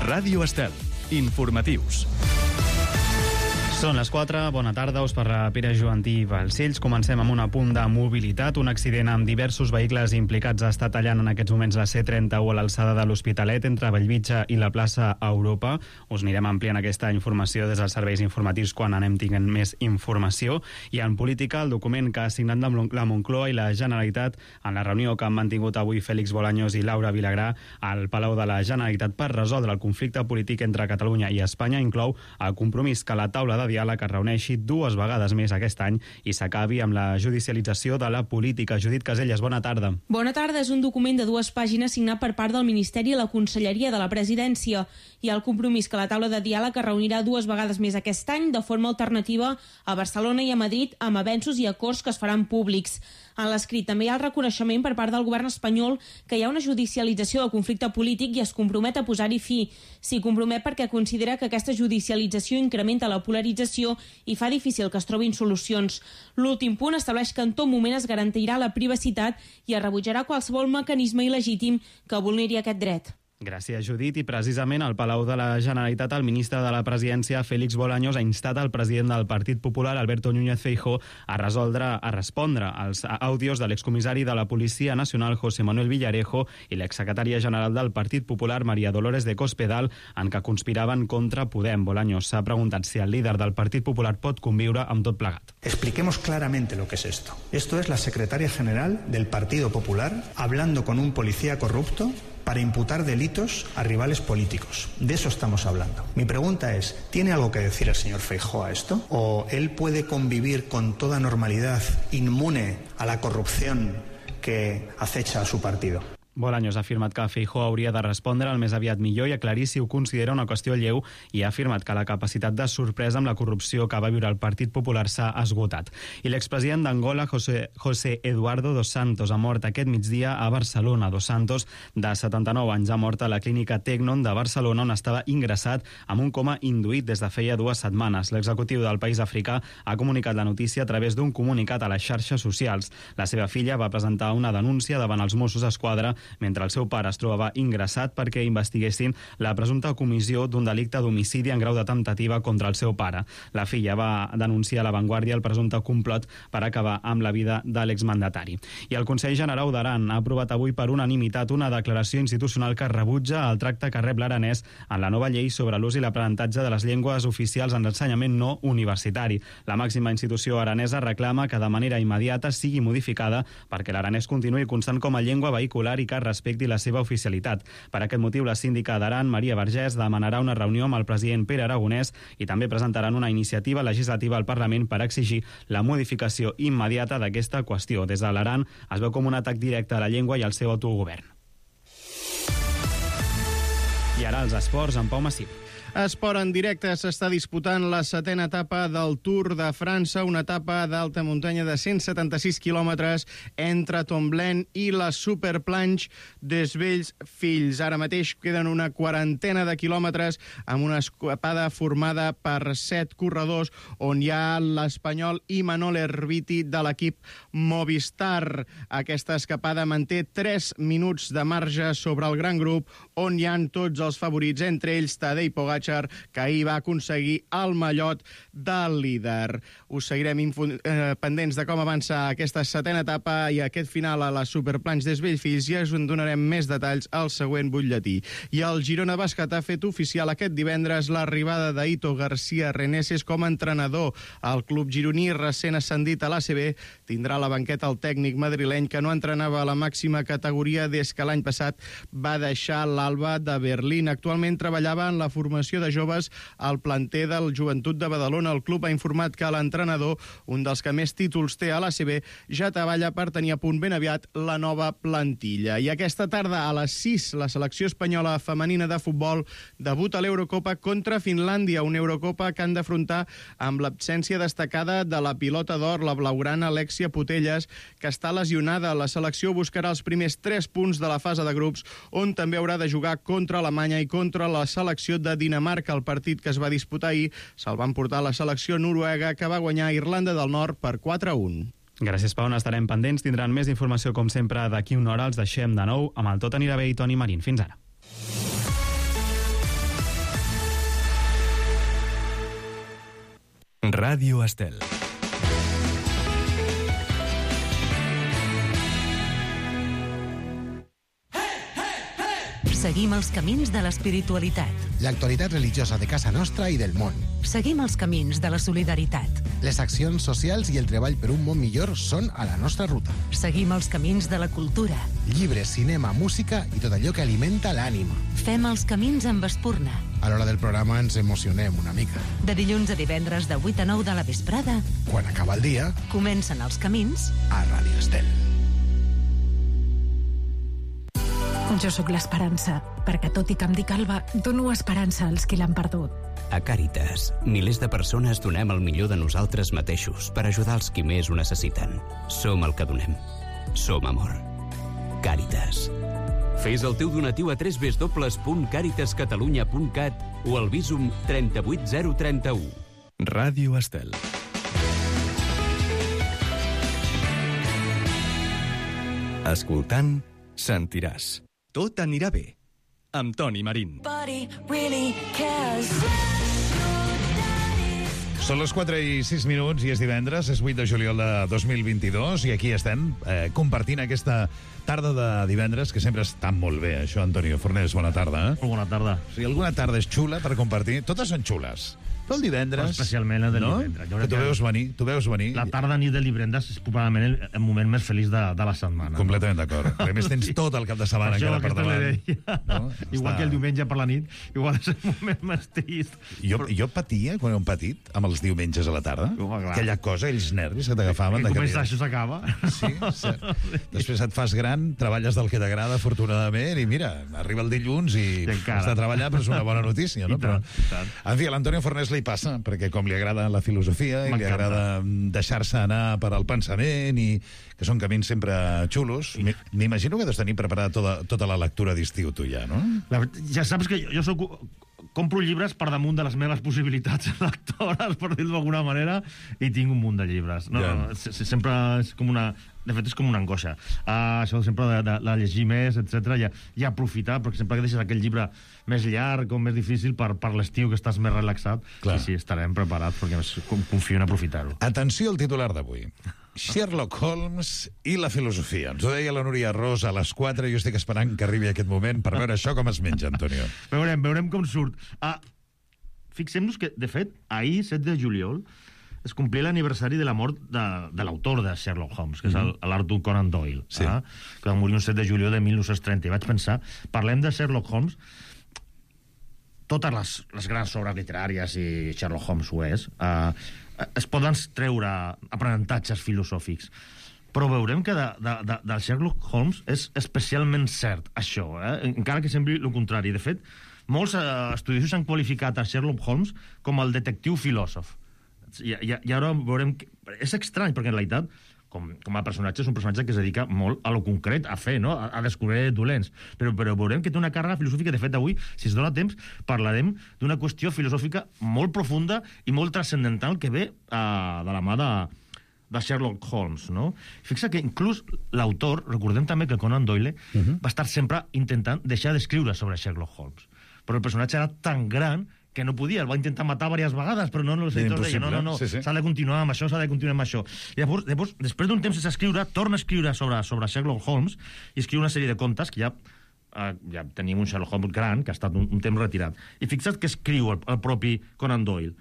Ràdio Estel. Informatius. Són les 4, bona tarda, us parla Pere Joantí Balcells. Comencem amb un apunt de mobilitat. Un accident amb diversos vehicles implicats està tallant en aquests moments la C31 a l'alçada de l'Hospitalet entre Bellvitge i la plaça Europa. Us anirem ampliant aquesta informació des dels serveis informatius quan anem tinguent més informació. I en política, el document que ha signat la Moncloa i la Generalitat en la reunió que han mantingut avui Félix Bolaños i Laura Vilagrà al Palau de la Generalitat per resoldre el conflicte polític entre Catalunya i Espanya inclou el compromís que la taula de diàleg es reuneixi 2 vegades més aquest any i s'acabi amb la judicialització de la política. Judit Caselles, bona tarda. Bona tarda. És un document de 2 pàgines signat per part del Ministeri i la Conselleria de la Presidència. Hi ha el compromís que la taula de diàleg es reunirà 2 vegades més aquest any de forma alternativa a Barcelona i a Madrid amb avenços i acords que es faran públics. En l'escrit també hi ha el reconeixement per part del govern espanyol que hi ha una judicialització del conflicte polític i es compromet a posar-hi fi. S'hi compromet perquè considera que aquesta judicialització incrementa la polarització i fa difícil que es trobin solucions. L'últim punt estableix que en tot moment es garantirà la privacitat i es rebutjarà qualsevol mecanisme il·legítim que vulneri aquest dret. Gràcies, Judit. I precisament al Palau de la Generalitat el ministre de la Presidència, Félix Bolaños, ha instat el president del Partit Popular, Alberto Núñez Feijóo, a respondre als àudios de l'excomissari de la Policia Nacional, José Manuel Villarejo, i l'exsecretària general del Partit Popular, María Dolores de Cospedal, en què conspiraven contra Podem. Bolaños s'ha preguntat si el líder del Partit Popular pot conviure amb tot plegat. Expliquemos claramente lo que es esto. Esto es la secretaria general del Partido Popular hablando con un policía corrupto para imputar delitos a rivales políticos. De eso estamos hablando. Mi pregunta es, ¿tiene algo que decir el señor Feijóo a esto? ¿O él puede convivir con toda normalidad, inmune a la corrupción que acecha a su partido? Bolaños ha afirmat que Feijóo hauria de respondre el més aviat millor i aclarir si ho considera una qüestió lleu i ha afirmat que la capacitat de sorpresa amb la corrupció que va viure el Partit Popular s'ha esgotat. I l'expresident d'Angola, José Eduardo dos Santos, ha mort aquest migdia a Barcelona. Dos Santos, de 79 anys, ha mort a la clínica Tecnon de Barcelona, on estava ingressat amb un coma induït des de feia 2 setmanes. L'executiu del país africà ha comunicat la notícia a través d'un comunicat a les xarxes socials. La seva filla va presentar una denúncia davant els Mossos d'Esquadra mentre el seu pare es trobava ingressat perquè investiguessin la presumpta comissió d'un delicte d'homicidi en grau de temptativa contra el seu pare. La filla va denunciar a La Vanguardia el presumpte complot per acabar amb la vida de l'exmandatari. I el Consell Generau d'Aran ha aprovat avui per unanimitat una declaració institucional que rebutja el tracte que rep l'aranès en la nova llei sobre l'ús i l'aprenentatge de les llengües oficials en l'ensenyament no universitari. La màxima institució aranesa reclama que de manera immediata sigui modificada perquè l'aranès continuï constant com a llengua vehicular i que respecti la seva oficialitat. Per aquest motiu, la síndica d'Aran, Maria Vergés, demanarà una reunió amb el president Pere Aragonès i també presentaran una iniciativa legislativa al Parlament per exigir la modificació immediata d'aquesta qüestió. Des de l'Aran es veu com un atac directe a la llengua i al seu autogovern. I ara els esports amb Pau Massip. Esport en directe, s'està disputant la 7a etapa del Tour de França, una etapa d'alta muntanya de 176 quilòmetres entre Tomblain i la Superplanche des Vells Fills. Ara mateix queden una 40ena de quilòmetres amb una escapada formada per 7 corredors on hi ha l'espanyol Imanol Erviti de l'equip Movistar. Aquesta escapada manté 3 minuts de marge sobre el gran grup on hi han tots els favorits, entre ells Tadej Pogačar, que ahir va aconseguir el mallot del líder. Us seguirem pendents de com avança aquesta 7a etapa i aquest final a la Superplanche des Bellfills i us en donarem més detalls al següent butlletí. I el Girona Bàsquet ha fet oficial aquest divendres l'arribada d'Ito García Reneses com a entrenador. El club gironí, recent ascendit a l'ACB, tindrà a la banqueta el tècnic madrileny que no entrenava a la màxima categoria des que l'any passat va deixar l'Alba de Berlín. Actualment treballava en la formació de joves al planter del Joventut de Badalona. El club ha informat que l'entrenador, un dels que més títols té a l'ACB, ja treballa per tenir a punt ben aviat la nova plantilla. I aquesta tarda a les 6 la selecció espanyola femenina de futbol debuta a l'Eurocopa contra Finlàndia, una Eurocopa que han d'afrontar amb l'absència destacada de la pilota d'or, la blaugrana Alexia Putellas, que està lesionada. La selecció buscarà els primers 3 punts de la fase de grups, on també haurà de jugar contra Alemanya i contra la selecció de Dinamarca. El partit que es va disputar ahir se'l van portar la selecció noruega, que va guanyar Irlanda del Nord per 4-1. Gràcies, Pau. N'estarem pendents. Tindran més informació, com sempre, d'aquí una hora. Els deixem de nou amb el Tot anirà bé i Toni Marín. Fins ara. Ràdio Estel. Seguim els camins de l'espiritualitat. L'actualitat religiosa de casa nostra i del món. Seguim els camins de la solidaritat. Les accions socials i el treball per un món millor són a la nostra ruta. Seguim els camins de la cultura. Llibres, cinema, música i tot allò que alimenta l'ànima. Fem els camins amb Espurna. A l'hora del programa ens emocionem una mica. De dilluns a divendres de 8 a 9 de la vesprada, Quan acaba el dia, comencen els camins. a Ràdio Estel. Jo sóc l'Esperança, perquè tot i que em dic Alba, dono esperança als qui l'han perdut. A Càritas, milers de persones donem el millor de nosaltres mateixos per ajudar els qui més ho necessiten. Som el que donem. Som amor. Càritas. Fes el teu donatiu a www.caritascatalunya.cat o al Bizum 38031. Ràdio Estel. Escoltant, sentiràs. Tot anirà bé. Amb Toni Marín. Són les 4:06 i és divendres, és 8 de juliol de 2022 i aquí estem compartint aquesta tarda de divendres, que sempre està molt bé, això, Antonio Fornés, bona tarda. Molt bona tarda. Si alguna tarda és xula per compartir, totes són xules. Però el divendres... Però especialment el del divendres. Que tu veus venir. La tarda nit del divendres és probablement el moment més feliç de la setmana. Completament d'acord. A més, tens tot el cap de setmana encara per davant. No? Igual que el diumenge per la nit, igual és el moment més trist. Jo patia, quan era un petit, amb els diumenges a la tarda, aquella cosa, ells nervis que t'agafaven. Que comença, això s'acaba. Sí, cert. Després et fas gran, treballes del que t'agrada, afortunadament, i mira, arriba el dilluns i has de treballar, però és una bona notícia, no? Però, en fi, a l'Antonio Fornés li passa, perquè com li agrada la filosofia i li agrada deixar-se anar per al pensament i que són camins sempre xulos, m'imagino que deus tenir preparada tota la lectura d'estiu tu ja, no? Ja saps que jo compro llibres per damunt de les meves possibilitats lectores, per dir-ho d'alguna manera, i tinc un munt de llibres. Sempre és com una... De fet, és com una angoixa. Això sempre de llegir més, etc. I aprofitar, perquè sempre que deixes aquell llibre més llarg o més difícil per l'estiu, que estàs més relaxat, sí, estarem preparats, perquè confio en aprofitar-ho. Atenció al titular d'avui. Sherlock Holmes i la filosofia. Ens ho deia la Núria Ros a les 4, i jo estic esperant que arribi aquest moment per veure això com es menja, Antonio. Veurem com surt. Fixem-nos que, de fet, ahir, 7 de juliol, es complia l'aniversari de la mort de l'autor de Sherlock Holmes, que és l'Arthur Conan Doyle, que va morir un 7 de juliol de 1930. I vaig pensar, parlem de Sherlock Holmes, totes les grans obres literàries, i Sherlock Holmes ho és, es poden treure aprenentatges filosòfics. Però veurem que del Sherlock Holmes és especialment cert això, encara que sembli el contrari. De fet, molts estudiosos han qualificat a Sherlock Holmes com el detectiu filòsof. I ara veurem que és estrany, perquè en realitat com a personatge és un personatge que es dedica molt a lo concret, a fer, no? A descobrir dolents, però veurem que té una càrrega filosòfica. De fet, avui, si es dona temps, parlarem d'una qüestió filosòfica molt profunda i molt transcendental que ve de la mà de Sherlock Holmes, no? Fixa que inclús l'autor, recordem també que Conan Doyle va estar sempre intentant deixar d'escriure sobre Sherlock Holmes, però el personatge era tan gran que no podia, el va intentar matar diverses vegades, però no, els editors deien, no, s'ha de continuar amb això, Llavors, després d'un temps sense escriure, torna a escriure sobre Sherlock Holmes i escriu una sèrie de contes que ja tenim un Sherlock Holmes gran, que ha estat un temps retirat. I fixa't que escriu el propi Conan Doyle.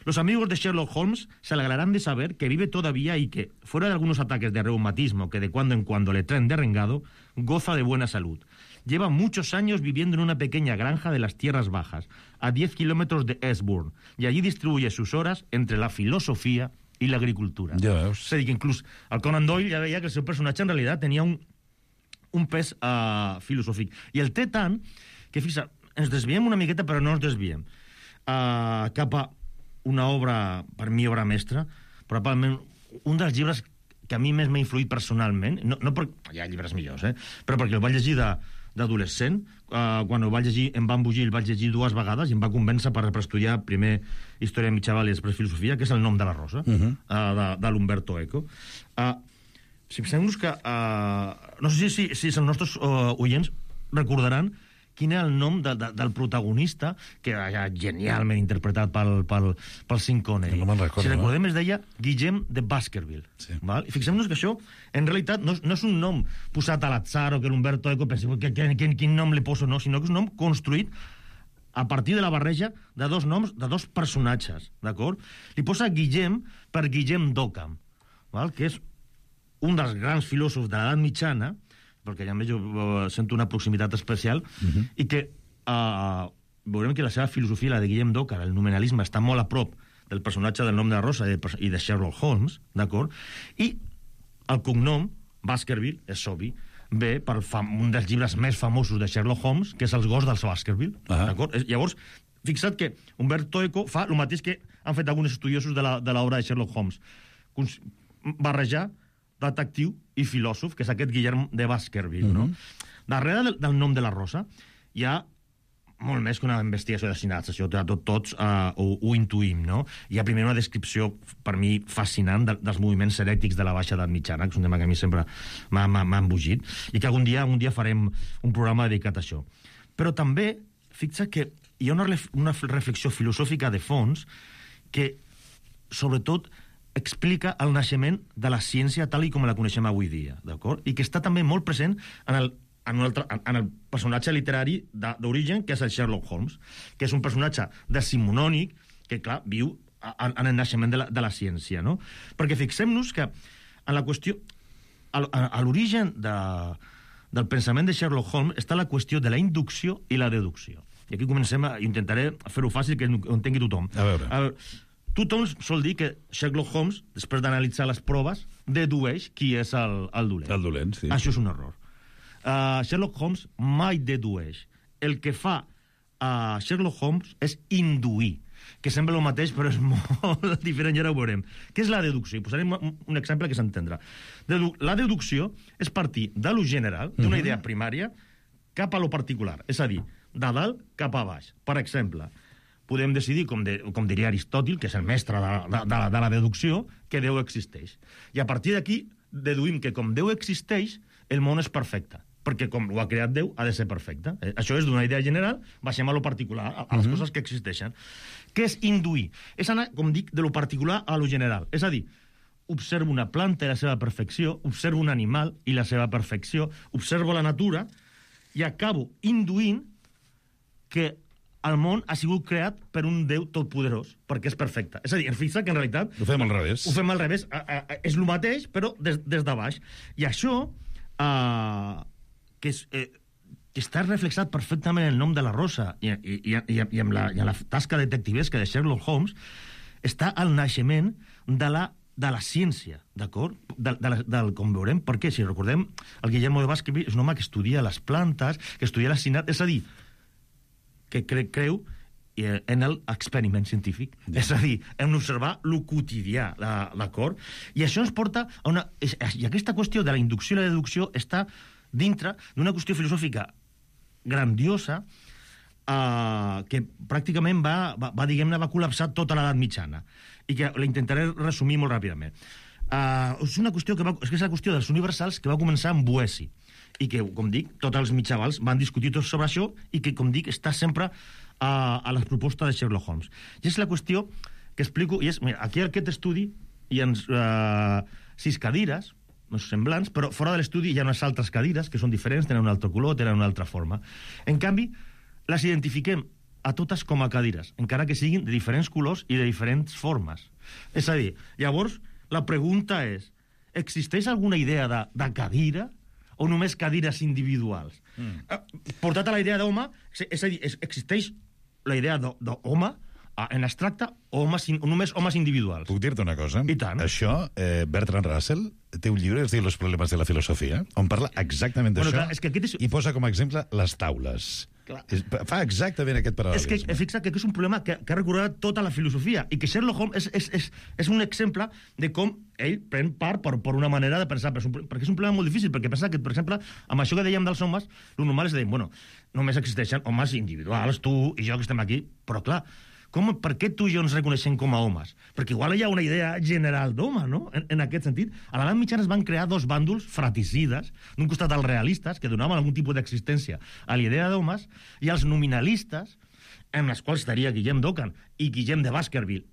Los amigos de Sherlock Holmes se alegrarán de saber que vive todavía y que, fuera de algunos ataques de reumatismo que de cuando en cuando le traen derrengado, goza de buena salud. Lleva muchos años viviendo en una pequeña granja de las tierras bajas, a 10 kilómetros de Eastbourne, y allí distribuye sus horas entre la filosofía y la agricultura. Ja veus. És a dir, que inclús el Conan Doyle ja veia que el seu personatge en realitat tenia un pes filosòfic. I el té tant que, fixa, ens desviem una miqueta, però no ens desviem cap a una obra, per mi, obra mestra, probablement un dels llibres que a mi més m'ha influït personalment, no perquè hi ha llibres millors, però perquè el vaig llegir d'adolescent, quan el vaig llegir em va embogir, el vaig llegir 2 vegades i em va convèncer per estudiar primer Història mitjaval i després Filosofia, que és El nom de la rosa, de l'Umberto Eco. Fixem-nos que no sé si els nostres oients recordaran quin era el nom del protagonista, que era genialment interpretat pel Sean Connery. No me'n recordo. Si recordem, es deia Guillem de Baskerville. Sí. Val? I fixem-nos que això, en realitat, no és un nom posat a l'atzar o que l'Umberto Eco pensi quin nom li poso, no, sinó que és un nom construït a partir de la barreja de dos noms, de dos personatges, d'acord? Li posa Guillem per Guillem d'Occam, val? Que és un dels grans filòsofs de l'edat mitjana, perquè ja jo sento una proximitat especial, i que veurem que la seva filosofia, la de Guillem d'Occam, el nominalisme, està molt a prop del personatge del nom de la Rosa i de Sherlock Holmes, d'acord? I el cognom, Baskerville, és obvi, ve per un dels llibres més famosos de Sherlock Holmes, que és Els gossos dels Baskerville. D'acord? Llavors, fixa't que Umberto Eco fa el mateix que han fet alguns estudiosos de l'obra de Sherlock Holmes. Barrejar detectiu i filòsof, que és aquest Guillem de Baskerville. No? Darrere del nom de la Rosa hi ha molt més que una investigació d'assassinats, això tots ho intuïm, no? Hi ha primer una descripció, per mi, fascinant dels moviments herètics de la Baixa Edat Mitjana, que és un tema que a mi sempre m'ha embogit, i que algun dia farem un programa dedicat a això. Però també, fixa que hi ha una reflexió filosòfica de fons que, sobretot, explica el naixement de la ciència tal com la coneixem avui dia, d'acord? I que està també molt present en el personatge literari d'origen, que és el Sherlock Holmes, que és un personatge decimonònic que, clar, viu en el naixement de la ciència, no? Perquè fixem-nos que en la qüestió, a l'origen del pensament de Sherlock Holmes està la qüestió de la inducció i la deducció. I aquí comencem, intentaré fer-ho fàcil, que ho entengui tothom. A veure. Tothom sol dir que Sherlock Holmes, després d'analitzar les proves, dedueix qui és el dolent. El dolent, sí. Això és un error. Sherlock Holmes mai dedueix. El que fa Sherlock Holmes és induir, que sembla el mateix, però és molt diferent, i ara ho veurem. Què és la deducció? I posarem un exemple que s'entendrà. La deducció és partir de lo general, d'una idea primària, cap a lo particular. És a dir, de dalt cap a baix. Per exemple, podem decidir, com diria Aristòtil, que és el mestre de la deducció, que Déu existeix. I a partir d'aquí deduïm que com Déu existeix, el món és perfecte, perquè com ho ha creat Déu, ha de ser perfecte. Això és d'una idea general, baixem a lo particular, a les coses que existeixen. Què és induir? És anar, com dic, de lo particular a lo general. És a dir, observo una planta i la seva perfecció, observo un animal i la seva perfecció, observo la natura i acabo induint que el món ha sigut creat per un Déu totpoderós, perquè és perfecte. És a dir, fixa que en realitat... Ho fem al revés. Ho fem al revés. És el mateix, però des de baix. I això, que està reflexat perfectament en el nom de la Rosa i en la tasca detectivesca de Sherlock Holmes, està al naixement de la ciència, d'acord? Com veurem, perquè, si recordem, el Guillermo de Baskerville és un home que estudia les plantes, que estudia l'assassinat, és a dir, que creu en l'experiment científic. És a dir, hem d'observar el quotidià, d'acord? I això ens porta a una... I aquesta qüestió de la inducció i la deducció està dintre d'una qüestió filosòfica grandiosa que pràcticament va col·lapsar tota l'edat mitjana i que la intentaré resumir molt ràpidament. És una qüestió és la qüestió dels universals que va començar amb Boeci i que, com dic, tots els mitjavals van discutir tot sobre això i que, com dic, està sempre a les propostes de Sherlock Holmes. I és la qüestió que explico, i és, mira, aquí en aquest estudi hi ha 6 cadires, semblants, però fora de l'estudi hi ha unes altres cadires que són diferents, tenen un altre color, tenen una altra forma. En canvi, les identifiquem a totes com a cadires, encara que siguin de diferents colors i de diferents formes. És a dir, llavors, la pregunta és, existeix alguna idea de cadira o només cadires individuals? Portat a la idea d'home, és a dir, existeix la idea d'home en abstracte o només homes individuals? Puc dir-te una cosa? I tant. Això, Bertrand Russell té un llibre que es diu Los problemas de la filosofia, on parla exactament d'això i posa com a exemple les taules. Fa exactament aquest paral·lelisme. És que fixa que és un problema que ha recorregut tota la filosofia i que Sherlock Holmes és un exemple de com ell pren part per una manera de pensar, perquè és un problema molt difícil, perquè pensa que, per exemple, amb això que dèiem dels homes, el normal és dir, bueno, només existeixen homes individuals, tu i jo que estem aquí, però clar, per què tu i jo ens reconeixem com a homes? Perquè igual hi ha una idea general d'home, no? En aquest sentit. A l'edat mitjana es van crear dos bàndols fraticides, d'un costat els realistes, que donaven algun tipus d'existència a l'idea d'homes, i els nominalistes, en els quals estaria Guillem d'Ockham i Guillem de Baskerville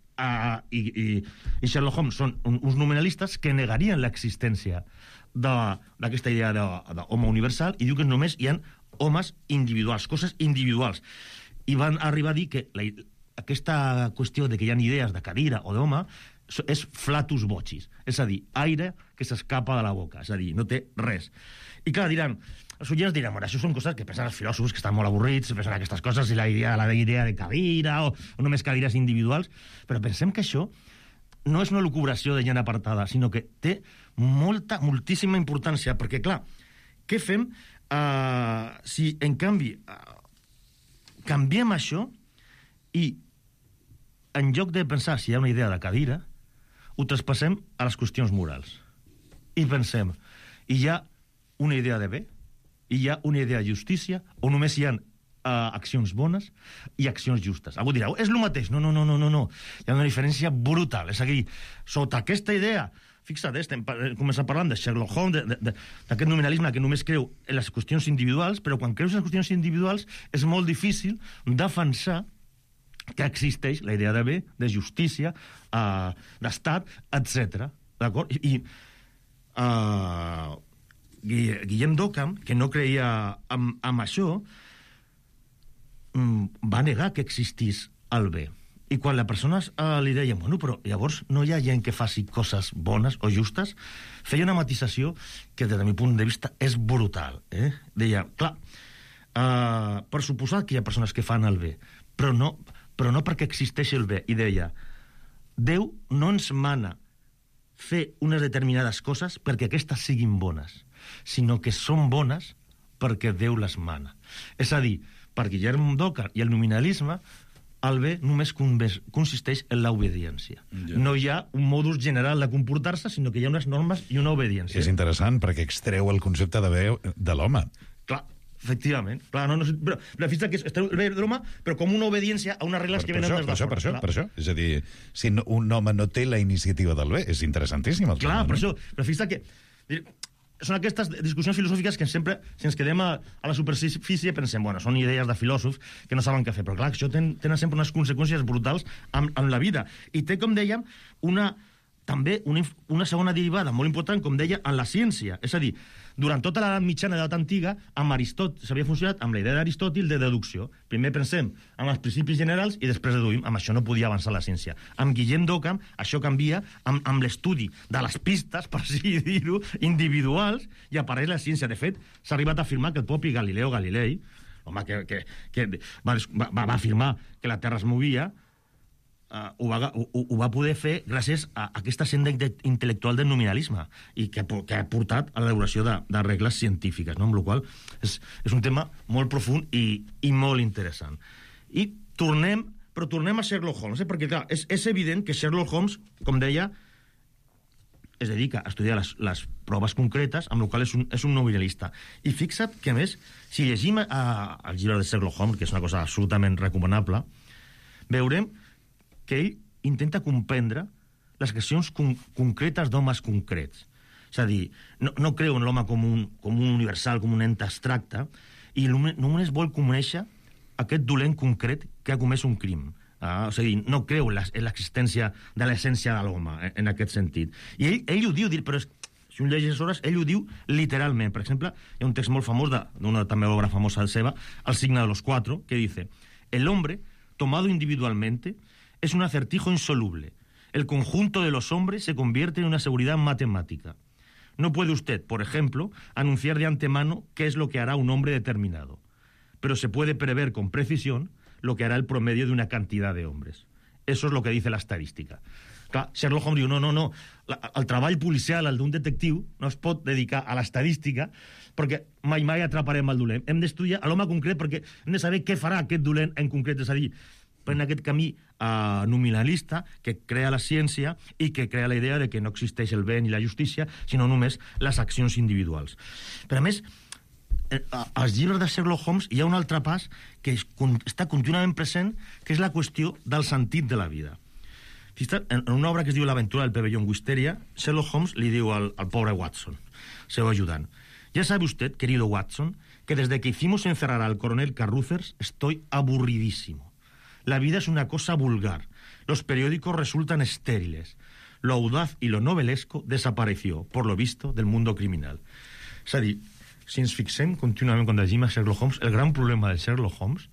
i Sherlock Holmes, són uns nominalistes que negarien l'existència d'aquesta idea d'home universal i diu que només hi ha homes individuals, coses individuals. I van arribar a dir que aquesta qüestió de que hi ha idees de cadira o d'home és flatus vocis, és a dir, aire que s'escapa de la boca, és a dir, no té res. I clar, diran, els oients diran, bueno, això són coses que pensen els filòsofs que estan molt avorrits, pensen aquestes coses, i la idea de cadira o només cadires individuals, però pensem que això no és una lucubració de gent apartada, sinó que té moltíssima importància, perquè, clar, què fem si, en canvi, canviem això i, en lloc de pensar si hi ha una idea de cadira, ho traspassem a les qüestions morals. I pensem, hi ha una idea de bé, hi ha una idea de justícia, o només hi ha accions bones i accions justes. Algú dirà, és el mateix. No. Hi ha una diferència brutal. És a dir, sota aquesta idea, fixa't, estem començant parlant de Sherlock Holmes, d'aquest nominalisme que només creu en les qüestions individuals, però quan creus en les qüestions individuals és molt difícil defensar que existeix la idea de bé, de justícia, d'estat, etc. D'acord? I Guillem d'Ockham, que no creia en això, va negar que existís el bé. I quan la persona li deia, bueno, però llavors no hi ha gent que faci coses bones o justes, feia una matisació que, des del meu punt de vista, és brutal. Deia, clar, per suposar que hi ha persones que fan el bé, però no perquè existeix el bé. I deia, Déu no ens mana fer unes determinades coses perquè aquestes siguin bones, sinó que són bones perquè Déu les mana. És a dir, per Guillem d'Ockham i el nominalisme, el bé només consisteix en l'obediència. No hi ha un modus general de comportar-se, sinó que hi ha unes normes i una obediència. És interessant, perquè extreu el concepte de bé de l'home. Clar, efectivament. Clar, però fixa't que extreu el bé de l'home, però com una obediència a unes regles que venen des de fora. Per això. És a dir, si un home no té la iniciativa del bé, és interessantíssim. Clar, per això. Però fixa't que són aquestes discussions filosòfiques que sempre, si ens quedem a la superfície, pensem, bueno, són idees de filòsofs que no saben què fer, però clar, això tenen sempre unes conseqüències brutals amb la vida. I té, com dèiem, també una segona derivada molt important, com deia, en la ciència. És a dir, durant tota l'edat mitjana i l'edat antiga, amb Aristòtil s'havia funcionat amb la idea d'Aristòtil de deducció. Primer pensem en els principis generals i després deduïm. Amb això no podia avançar la ciència. Amb Guillem d'Ockham això canvia amb l'estudi de les pistes, per així dir-ho, individuals, i apareix la ciència. De fet, s'ha arribat a afirmar que el propi Galileo Galilei, home, que va afirmar que la Terra es movia, ho va poder fer gràcies a aquesta senda intel·lectual del nominalisme i que ha portat a l'elaboració de regles científiques, no? Amb la qual és un tema molt profund i molt interessant. I tornem a Sherlock Holmes, perquè clar, és evident que Sherlock Holmes, com deia, es dedica a estudiar les proves concretes, amb la qual és un nominalista. I fixa't que, a més, si llegim el llibre de Sherlock Holmes, que és una cosa absolutament recomanable, veurem que ell intenta comprendre les accions concretes d'homes concrets. És a dir, no creu en l'home com un universal, com un ente abstracte, i només vol conèixer aquest dolent concret que ha comès un crim. O sigui, no creu en l'existència de l'essència de l'home, en aquest sentit. I ell ho diu, però si un llegeix hores, ell ho diu literalment. Per exemple, hi ha un text molt famós d'una també obra famosa seva, El signo de los cuatro, que dice: el hombre, tomado individualmente, es un acertijo insoluble. El conjunto de los hombres se convierte en una seguridad matemática. No puede usted, por ejemplo, anunciar de antemano qué es lo que hará un hombre determinado, pero se puede prever con precisión lo que hará el promedio de una cantidad de hombres. Eso es lo que dice la estadística. Clar, Sherlock Holmes diu, no, el treball policial, el d'un detectiu, no es pot dedicar a l'estadística perquè mai atraparem el dolent. Hem d'estudiar l'home concret perquè hem de saber què farà aquest dolent en concret, és a dir, en aquest camí nominalista que crea la ciència i que crea la idea de que no existeix el bé ni la justícia, sinó només les accions individuals. Però a més, als llibres de Sherlock Holmes hi ha un altre pas que està contínuament present, que és la qüestió del sentit de la vida. En una obra que es diu L'aventura del pabellón Wisteria, Sherlock Holmes li diu al pobre Watson, seu ayudant: ya sabe usted, querido Watson, que desde que hicimos encerrar al coronel Carruthers estoy aburridísimo. La vida es una cosa vulgar. Los periódicos resultan estériles. Lo audaz y lo novelesco desapareció, por lo visto, del mundo criminal. És a dir, si ens fixem contínuament quan llegim a Sherlock Holmes, el gran problema de Sherlock Holmes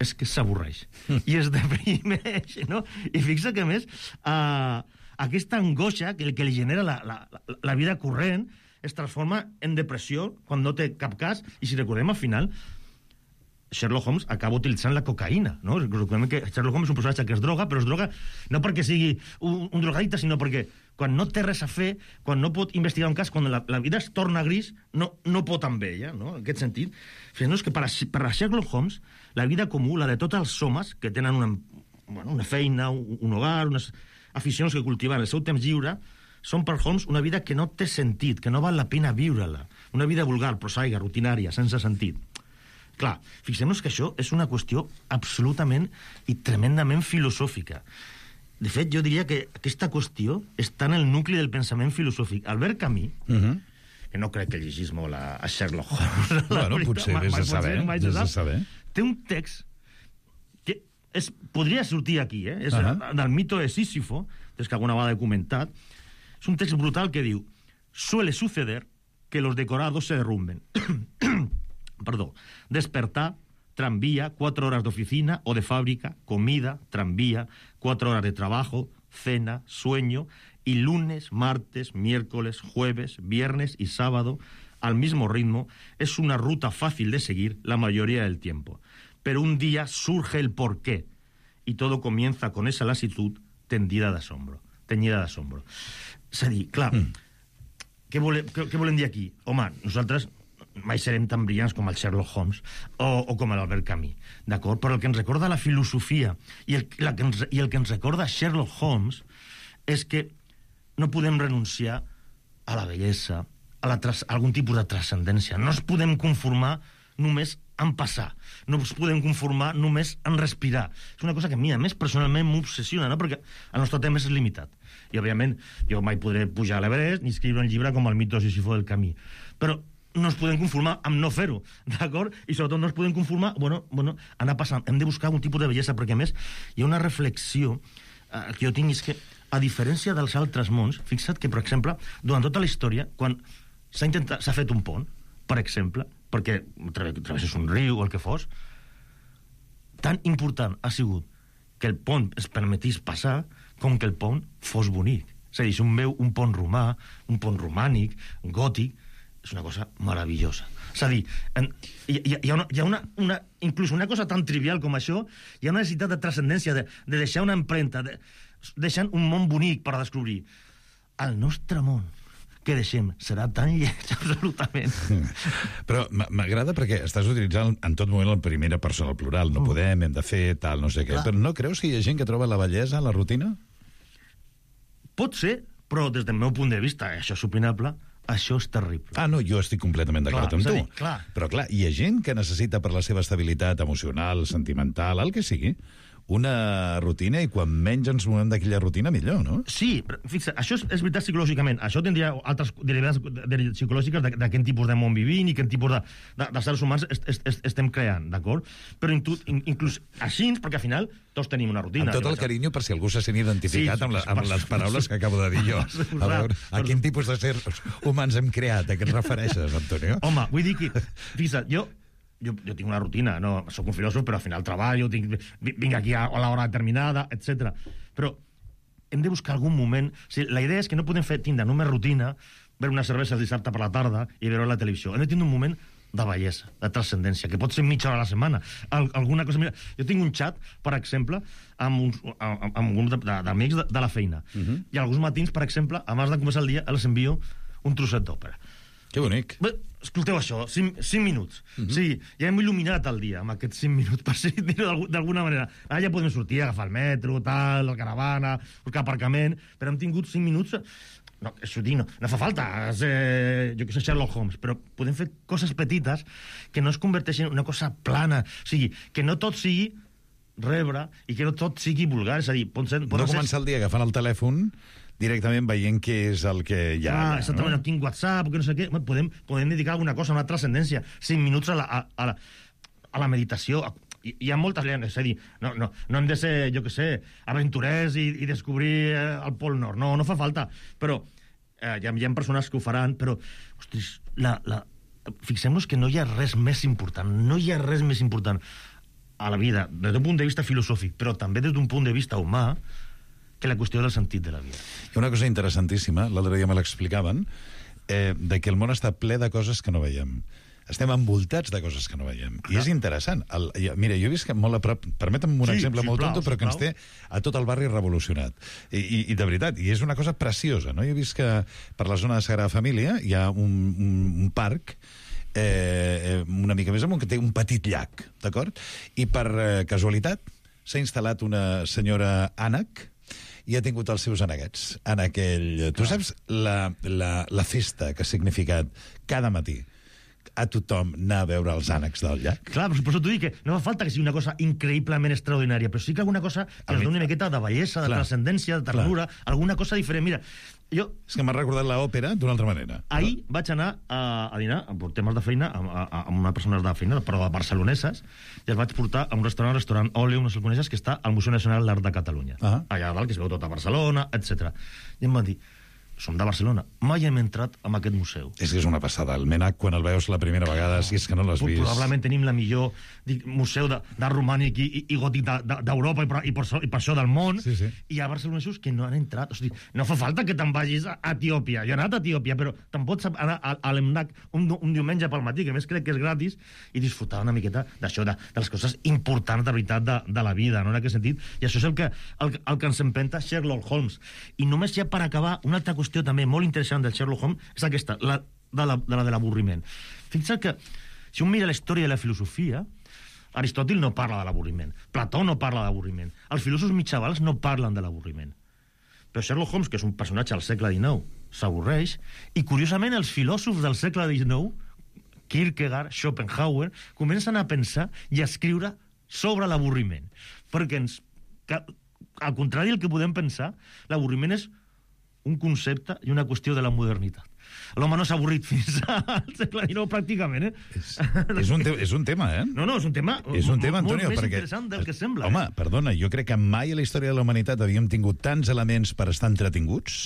és que s'avorreix i es deprimeix, no? I fixa que, a més, aquesta angoixa que li genera la vida corrent es transforma en depressió quan no té cap cas, i si recordem al final Sherlock Holmes acaba utilitzant la cocaïna, no? Recordem que Sherlock Holmes és un personatge que es droga, però es droga no perquè sigui un drogadicte, sinó perquè quan no té res a fer, quan no pot investigar un cas, quan la vida es torna gris, no pot amb ella, no? En aquest sentit, és que per a Sherlock Holmes, la vida comú, la de tots els homes que tenen una feina, un hogar, unes aficions que cultiven el seu temps lliure, són per Holmes una vida que no té sentit, que no val la pena viure-la. Una vida vulgar, prosaica, rutinària, sense sentit. Clar, fixem-nos que això és una qüestió absolutament i tremendament filosòfica. De fet, jo diria que aquesta qüestió està en el nucli del pensament filosòfic. Albert Camus, que no crec que llegís molt a Sherlock Holmes... Bueno, potser, vés a saber. Té un text que podria sortir aquí, és del mito de Sísifo, des que alguna vegada he comentat. És un text brutal que diu: suele suceder que los decorados se derrumben. Perdó. Despertar, tranvía, 4 horas de oficina o de fábrica, comida, tranvía, 4 horas de trabajo, cena, sueño, y lunes, martes, miércoles, jueves, viernes y sábado, al mismo ritmo, es una ruta fácil de seguir la mayoría del tiempo. Pero un día surge el porqué, y todo comienza con esa lasitud teñida de asombro. És a dir, clar, què volem dir aquí? Home, nosaltres mai serem tan brillants com el Sherlock Holmes o com l'Albert Camus, d'acord? Però el que ens recorda la filosofia i el que ens recorda Sherlock Holmes és que no podem renunciar a la bellesa, a algun tipus de transcendència. No ens podem conformar només en passar. No ens podem conformar només en respirar. És una cosa que a mi, a més, personalment m'obsessiona, no? Perquè el nostre temps és limitat. I, òbviament, jo mai podré pujar a l'Everest ni escriure un llibre com el mito de Sísifo del Camus. Però no ens podem conformar amb no fer-ho, d'acord? I sobretot no ens podem conformar, anar passant. Hem de buscar un tipus de bellesa, perquè, a més, hi ha una reflexió que jo tinc, és que, a diferència dels altres mons, fixa't que, per exemple, durant tota la història, quan s'ha fet un pont, per exemple, perquè travesses un riu o el que fos, tan important ha sigut que el pont es permetís passar com que el pont fos bonic. És a dir, si un veu un pont romà, un pont romànic, gòtic, és una cosa meravellosa. És a dir, hi ha inclús una cosa tan trivial com això, hi ha una necessitat de transcendència, de deixar una empremta, deixant un món bonic per descobrir. El nostre món que deixem serà tan lleig, absolutament. Però m'agrada perquè estàs utilitzant en tot moment la primera persona, el plural. No podem, hem de fer, tal, no sé què. Però no creus que hi ha gent que troba la bellesa a la rutina? Pot ser, però des del meu punt de vista, això és opinable, això és terrible. No, jo estic completament d'acord amb tu. Clar. Però clar, hi ha gent que necessita per la seva estabilitat emocional, sentimental, el que sigui, una rutina, i quan menys ens movem d'aquella rutina, millor, no? Sí, però fixa, això és veritat psicològicament. Això tindria altres derivades psicològiques de quin tipus de món vivim i quin tipus de seres humans estem creant, d'acord? Però inclús així, perquè al final tots tenim una rutina. Amb tot el carinyo, per si algú se sent identificat amb les paraules que acabo de dir jo. A veure, a quin tipus de sers humans hem creat? A què et refereixes, Antonio? Home, vull dir que, fixa, jo tinc una rutina, no soc un filòsof, però al final treballo, vinc aquí a l'hora determinada, etc. Però hem de buscar algun moment... O sigui, la idea és que no podem tindre només rutina, veure una cervesa el dissabte per la tarda i veure la televisió. Hem de tindre un moment de bellesa, de transcendència, que pot ser mitja hora a la setmana. Alguna cosa... Mira, jo tinc un xat, per exemple, amb un grup d'amics de la feina. I alguns matins, per exemple, abans de començar el dia, els envio un trosset d'òpera. Que bonic. Bé, escolteu això, 5 minuts. Sí, ja hem il·luminat el dia amb aquests 5 minuts, per dir-ho d'alguna manera. Ara ja podem sortir, agafar el metro, tal, la caravana, buscar aparcament, però hem tingut 5 minuts no fa falta, jo que sé, Sherlock Holmes, però podem fer coses petites que no es converteixin en una cosa plana, o sigui, que no tot sigui rebre i que no tot sigui vulgar, és a dir, no començar el dia agafant el telèfon directament veient què és el que hi ha. Exactament, no tinc WhatsApp, que no sé què, podem dedicar alguna cosa, una transcendència, 5 minuts a la meditació. Hi ha moltes llengües, és a dir, no hem de ser, jo que sé, aventurers i descobrir el Pol Nord, no fa falta, però hi ha persones que ho faran, però, ostres, fixem-nos que no hi ha res més important a la vida, des d'un punt de vista filosòfic, però també des d'un punt de vista humà, que la qüestió del sentit de la vida. Hi ha una cosa interessantíssima, l'altre dia me l'explicaven, de que el món està ple de coses que no veiem. Estem envoltats de coses que no veiem. I és interessant. Mira, jo he vist que molt a prop... Permetem un exemple molt tonto, però que ens té a tot el barri revolucionat. I de veritat, i és una cosa preciosa, no? Jo he vist que per la zona de Sagrada Família hi ha un parc una mica més amunt, que té un petit llac, d'acord? I per casualitat s'ha instal·lat una senyora ànec i ha tingut els seus aneguets en aquell... Tu saps la festa que ha significat cada matí a tothom anar a veure els ànecs del llac? Clar, però per això t'ho dic, que no fa falta que sigui una cosa increïblement extraordinària, però sí que alguna cosa que ens doni una miqueta de bellesa, de transcendència, de ternura, alguna cosa diferent. Mira, és que m'ha recordat l'òpera d'una altra manera. Ahir vaig anar a dinar, per temes de feina, amb una persona de feina, però de barceloneses, i els vaig portar a un restaurant Òleo, no sé si el coneixes, que està al Museu Nacional d'Art de Catalunya. Allà dalt, que es veu tot a Barcelona, etc. I em van dir, som de Barcelona, mai hem entrat en aquest museu. És que és una passada. El Menac, quan el veus la primera vegada, si és que no l'has vist... Probablement tenim la millor museu d'art romànic i gòtic d'Europa i per això del món. Sí. I hi ha barcelonesos que no han entrat. O sigui, no fa falta que te'n vagis a Etiòpia. Jo he anat a Etiòpia, però te'n pots anar a l'Emnac un diumenge pel matí, que més crec que és gratis, i disfrutar una miqueta d'això, de les coses importants de veritat de la vida, no? En aquest sentit. I això és el que ens empenta Sherlock Holmes. I només ja per acabar, una altra qüestió també molt interessant del Sherlock Holmes és aquesta, la de l'avorriment. Fixa't que, si un mira la història de la filosofia, Aristòtil no parla de l'avorriment, Plató no parla d'avorriment, els filòsofs mitjavals no parlen de l'avorriment. Però Sherlock Holmes, que és un personatge al segle XIX, s'avorreix, i curiosament els filòsofs del segle XIX, Kierkegaard, Schopenhauer, comencen a pensar i a escriure sobre l'avorriment. Perquè al contrari del que podem pensar, l'avorriment és un concepte i una qüestió de la modernitat. L'home no s'ha avorrit fins al segle XIX, pràcticament, És un tema, eh? No, és un tema Antonio, molt més perquè, interessant del que sembla. Home, perdona, jo crec que mai a la història de la humanitat havíem tingut tants elements per estar entretinguts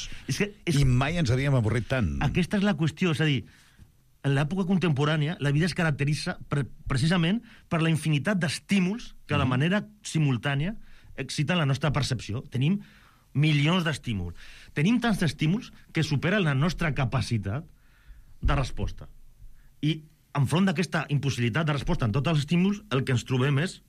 i mai ens havíem avorrit tant. Aquesta és la qüestió, és a dir, en l'època contemporània la vida es caracteritza precisament per la infinitat d'estímuls que de manera simultània exciten la nostra percepció. Tenim milions d'estímuls. Tenim tants estímuls que superen la nostra capacitat de resposta. I enfront d'aquesta impossibilitat de resposta en tots els estímuls, el que ens trobem és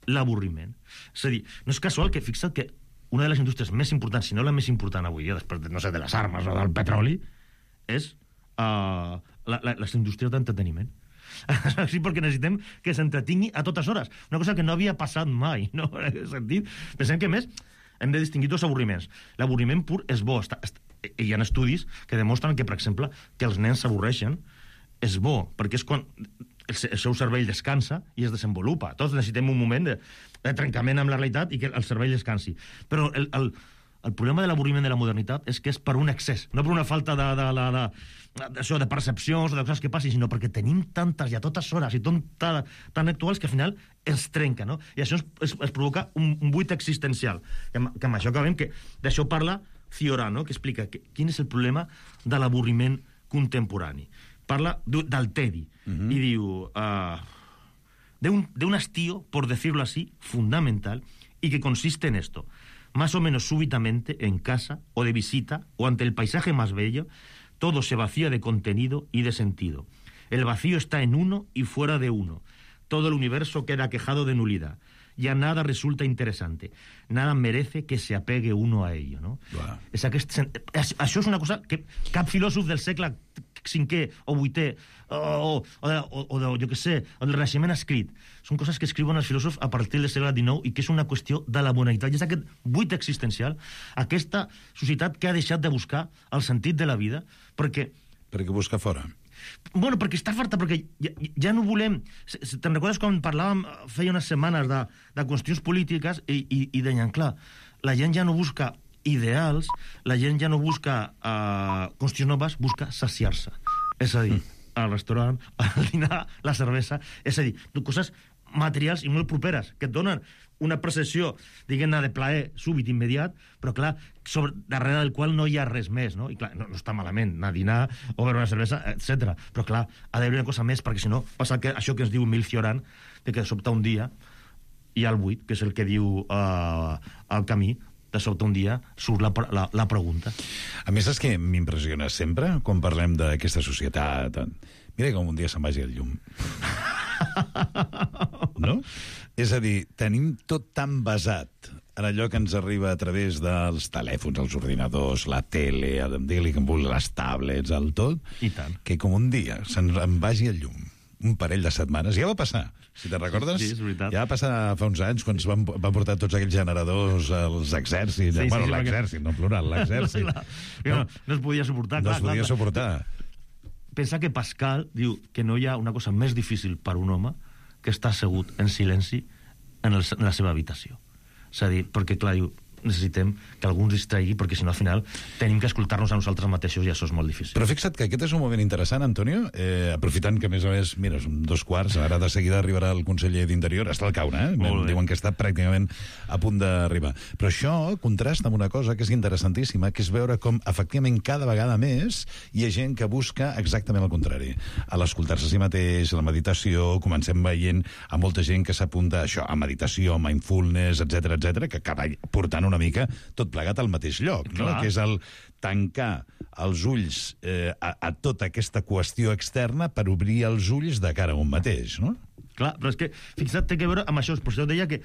l'avorriment. És a dir, no és casual que, fixa't que una de les indústries més importants, si no la més important avui, després, no sé, de les armes o del petroli, és les indústries d'entreteniment. Sí, perquè necessitem que s'entretingui a totes hores. Una cosa que no havia passat mai, no? En aquest sentit, pensem que, més, hem de distingir dos avorriments. L'avorriment pur és bo. Hi ha estudis que demostren que, per exemple, que els nens s'avorreixen és bo, perquè és quan el seu cervell descansa i es desenvolupa. Tots necessitem un moment de trencament amb la realitat i que el cervell descansi. Però el problema de l'avorriment de la modernitat és que és per un excés, no per una falta de percepcions o de coses que passin, sinó perquè tenim tantes i a totes hores i tan actuals que al final es trenca, no? I això es provoca un buit existencial. Que amb això acabem, que d'això parla Ciorano, que explica quin és el problema de l'avorriment contemporani. Parla del tedi i diu de un hastío, por decirlo así, fundamental, y que consiste en esto: más o menos súbitamente, en casa, o de visita, o ante el paisaje más bello, todo se vacía de contenido y de sentido. El vacío está en uno y fuera de uno. Todo el universo queda quejado de nulidad. Ya nada resulta interesante. Nada merece que se apegue uno a ello, no? Wow. Això és una cosa que cap filòsof del segle 5è o 8è, o jo què sé, o del Renaixement escrit. Són coses que escriuen els filòsofs a partir del segle XIX i que és una qüestió de la modernitat. I és aquest buit existencial, aquesta societat que ha deixat de buscar el sentit de la vida, perquè busca fora. Bueno, perquè està farta, perquè ja no volem... Te'n recordes quan parlàvem feia unes setmanes de qüestions polítiques i deien, clar, la gent ja no busca ideals, la gent ja no busca qüestions noves, busca saciar-se. És a dir, al restaurant, al dinar, la cervesa, és a dir, coses materials i molt properes, que et donen una percepció, diguem-ne, de plaer súbit, immediat, però clar, darrere del qual no hi ha res més, no? I clar, no està malament anar a dinar o beure una cervesa, etc. Però clar, ha d'haver una cosa més, perquè si no passa això que ens diu Emil Cioran, que de sobte un dia hi ha el buit, que és el que diu el Camí, de sobte un dia surt la pregunta. A més, és que m'impressiona sempre, quan parlem d'aquesta societat... Mira com un dia se'n vagi el llum. No? És a dir, tenim tot tan basat en allò que ens arriba a través dels telèfons, els ordinadors, la tele, digue-li que em vulgui, les tablets, el tot, i tant, que com un dia se'n vagi el llum. Un parell de setmanes. Ja va passar, si te'n recordes. Sí, és veritat. Ja va passar fa uns anys, quan van portar tots aquells generadors als exèrcits. Sí, bueno, sí, l'exèrcit, no plural, l'exèrcit. No es podia suportar. No es podia suportar. Pensa que Pascal diu que no hi ha una cosa més difícil per un home que estar assegut en silenci en la seva habitació. És a dir, perquè, clar, diu, necessitem que algú ens distregui, perquè si no, al final, tenim que escoltar-nos a nosaltres mateixos i això és molt difícil. Però fixa't que aquest és un moment interessant, Antonio, aprofitant que, a més a més, mira, són 2:15, ara de seguida arribarà el conseller d'Interior, està al caure, diuen que està pràcticament a punt d'arribar. Però això contrasta amb una cosa que és interessantíssima, que és veure com, efectivament, cada vegada més hi ha gent que busca exactament el contrari. A l'escoltar-se a si mateix, a la meditació, comencem veient a molta gent que s'apunta a això, a meditació, a mindfulness, etc, que acaba portant una mica tot plegat al mateix lloc, no? Que és el tancar els ulls a tota aquesta qüestió externa per obrir els ulls de cara a un mateix, no? Clar, però és que, fixa't, té que veure amb això. Per això deia que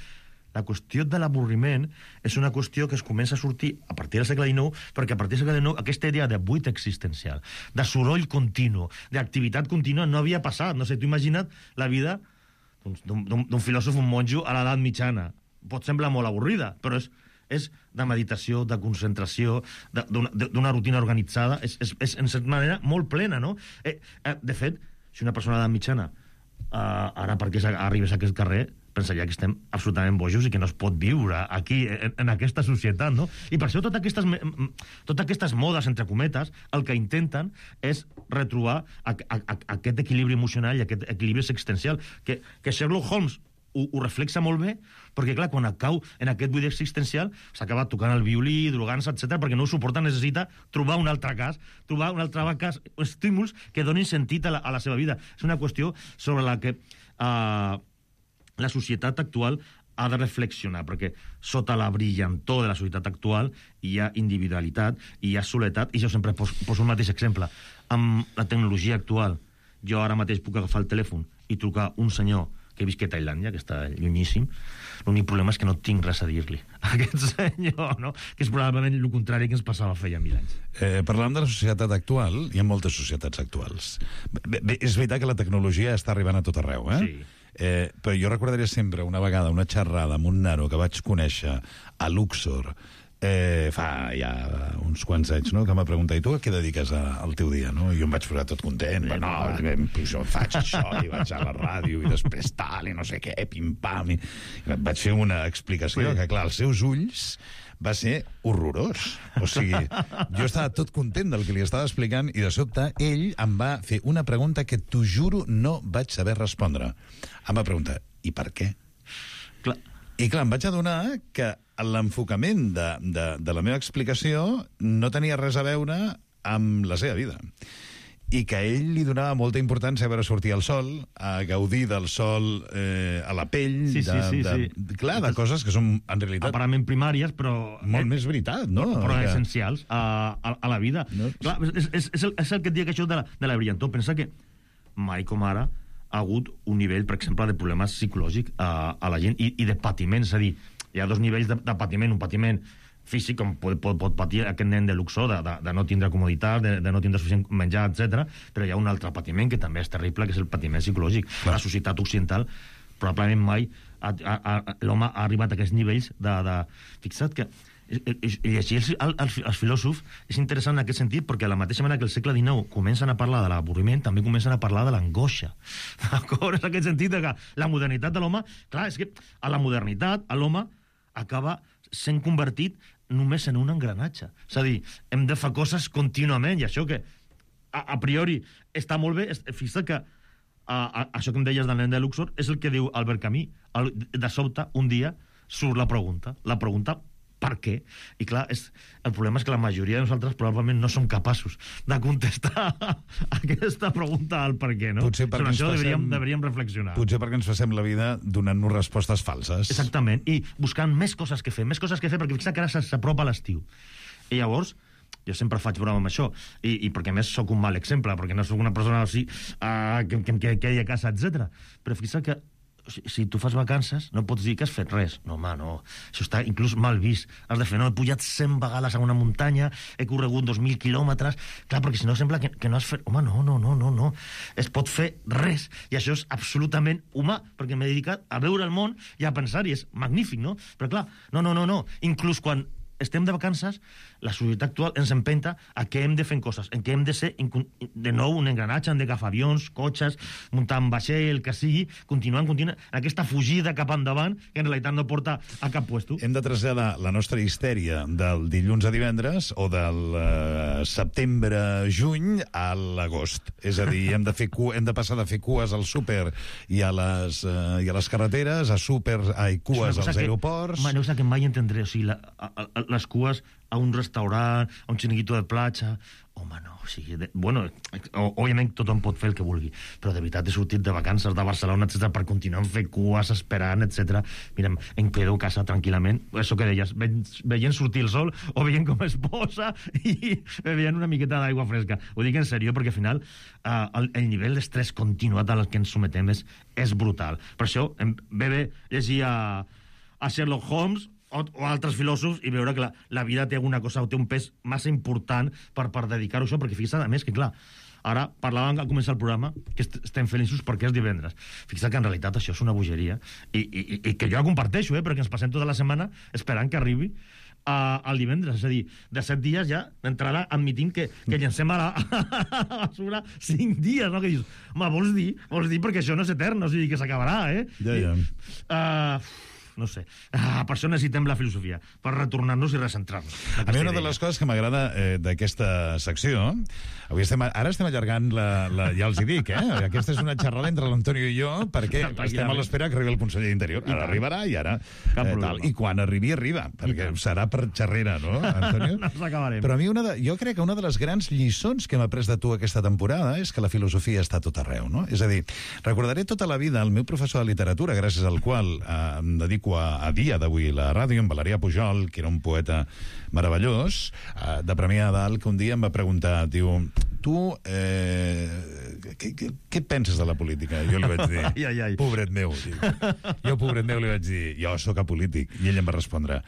la qüestió de l'avorriment és una qüestió que es comença a sortir a partir del segle XIX, perquè a partir del segle XIX aquesta idea de buit existencial, de soroll continu, d'activitat contínua, no havia passat. No sé, tu imagina't la vida d'un filòsof, un monjo a l'edat mitjana. Pot semblar molt avorrida, però és de meditació, de concentració, d'una rutina organitzada, és en certa manera molt plena, no? De fet, si una persona d'edat mitjana ara perquè arribes a aquest carrer pensaria que estem absolutament bojos i que no es pot viure aquí, en aquesta societat, no? I per això totes aquestes modes, entre cometes, el que intenten és retrobar aquest equilibri emocional i aquest equilibri existencial, que Sherlock Holmes ho reflexa molt bé, perquè, clar, quan cau en aquest buit existencial, s'acaba tocant el violí, drogant-se, etc, perquè no ho suporta, necessita trobar un altre cas, estímuls que donin sentit a la seva vida. És una qüestió sobre la que la societat actual ha de reflexionar, perquè sota la brillantor de la societat actual hi ha individualitat, hi ha soledat, i jo sempre poso un mateix exemple. Amb la tecnologia actual, jo ara mateix puc agafar el telèfon i trucar un senyor que visc a Tailàndia, que està llunyíssim. L'únic problema és que no tinc res a dir-li a aquest senyor, no? Que és probablement el contrari que ens passava feia 1000 anys. Parlant de la societat actual, hi ha moltes societats actuals. Bé, és veritat que la tecnologia està arribant a tot arreu, Sí. Però jo recordaria sempre una vegada una xerrada amb un nano que vaig conèixer a Luxor fa ja uns quants anys, no? Que m'ha preguntat, i tu a què dediques al teu dia, no? I jo em vaig posar tot content, jo faig això, i vaig a la ràdio, i després tal, i no sé què, pim-pam, i vaig fer una explicació que, clar, als seus ulls va ser horrorós. O sigui, jo estava tot content del que li estava explicant i de sobte ell em va fer una pregunta que, t'ho juro, no vaig saber respondre. Em va preguntar, i per què? Clar. I clar, em vaig adonar que l'enfocament de la meva explicació no tenia res a veure amb la seva vida. I que a ell li donava molta importància a veure sortir el sol, a gaudir del sol a la pell, clar, de coses que són, en realitat, aparentment primàries, però molt més veritat, no? Però essencials a la vida. No? Clar, és el que et dic, això de la brillantor. Pensa que mai com ara ha hagut un nivell, per exemple, de problemes psicològics a la gent i de patiment. És a dir, hi ha dos nivells de patiment. Un patiment físic, com pot patir aquest nen de luxor, de no tindre comoditat, de no tindre suficient menjar, etc. Però hi ha un altre patiment que també és terrible, que és el patiment psicològic. La societat occidental probablement mai l'home ha arribat a aquests nivells de... Fixa't que llegir els filòsofs és interessant en aquest sentit, perquè a la mateixa manera que el segle XIX comencen a parlar de l'avorriment, també comencen a parlar de l'angoixa. D'acord? És aquest sentit que la modernitat de l'home... Clar, és que a la modernitat l'home acaba sent convertit només en un engranatge. És a dir, hem de fer coses contínuament, i això que a priori està molt bé, fixa't que això que em deies del nen de Luxor és el que diu Albert Camus. De sobte, un dia, surt la pregunta per què? I clar, el problema és que la majoria de nosaltres probablement no som capaços de contestar aquesta pregunta al per què, no? Sobre això deberíem reflexionar. Potser perquè ens passem la vida donant-nos respostes falses. Exactament, i buscant més coses que fer, perquè fixa que ara s'apropa l'estiu. I llavors, jo sempre faig broma amb això, i perquè a més sóc un mal exemple, perquè no sóc una persona així que hi a casa, etc. Però fixa que si tu fas vacances, no pots dir que has fet res. No, home, no. Això està inclús mal vist. Has de fer, no, he pujat 100 vegades a una muntanya, he corregut 2.000 quilòmetres... Clar, perquè si no sembla que no has fet... Home, no. Es pot fer res. I això és absolutament humà, perquè m'he dedicat a veure el món i a pensar-hi. És magnífic, no? Però clar, no. Inclús quan estem de vacances, la societat actual ens empenta a que hem de fer coses, en què hem de ser, de nou, un engranatge, hem d'agafar avions, cotxes, muntar un vaixell, el que sigui, continuant, aquesta fugida cap endavant, que en realitat no porta a cap puesto. Hem de traslladar la nostra histèria del dilluns a divendres o del setembre-juny a l'agost. És a dir, hem de passar de fer cues al súper i a les carreteres, a cues als aeroports... Una cosa que mai entendré, o sigui, les cues a un restaurant, a un xiringuito de platja... Home, no, o sigui... Bueno, òbviament tothom pot fer el que vulgui, però de veritat he sortit de vacances de Barcelona, etc., per continuar fent cues, esperant, etc. Mira, em quedo a casa tranquil·lament, això que deies, veient sortir el sol, o veient com es posa, i veient una miqueta d'aigua fresca. Ho dic en sèrio, perquè al final el nivell d'estrès continuat al que ens sometem és brutal. Per això ve bé llegir a Sherlock Holmes o altres filòsofs i veure que la vida té alguna cosa o té un pes massa important per dedicar-ho a això, perquè fixa't, a més, que clar, ara parlàvem al començar el programa que estem feliços perquè és divendres. Fixa't que en realitat això és una bogeria i que jo la comparteixo, perquè ens passem tota la setmana esperant que arribi al divendres, és a dir, de 7 dies ja d'entrada admitint que llancem a la basura 5 dies, no? Que dius, home, vols dir perquè això no és etern, o sigui, que s'acabarà, Ja. No sé. Per això necessitem la filosofia, per retornar-nos i recentrar-nos. A mi una de les coses que m'agrada d'aquesta secció... Ara estem allargant ja els hi dic, aquesta és una xerrada entre l'Antonio i jo, perquè estem a l'espera que arribi el conseller d'Interior. Ara arribarà i ara... I quan arribi, arriba, perquè serà per xerrera, no, Antonio? No s'acabarem. Però a mi jo crec que una de les grans lliçons que hem après de tu aquesta temporada és que la filosofia està a tot arreu, no? És a dir, recordaré tota la vida el meu professor de literatura, gràcies al qual em dedico a dia d'avui la ràdio, en Valerià Pujol, que era un poeta meravellós, de Premià de Dalt, que un dia em va preguntar, diu, tu, què penses de la política? Jo li vaig dir, pobret meu. Jo, pobret meu, li vaig dir, jo sóc apolític. I ell em va respondre,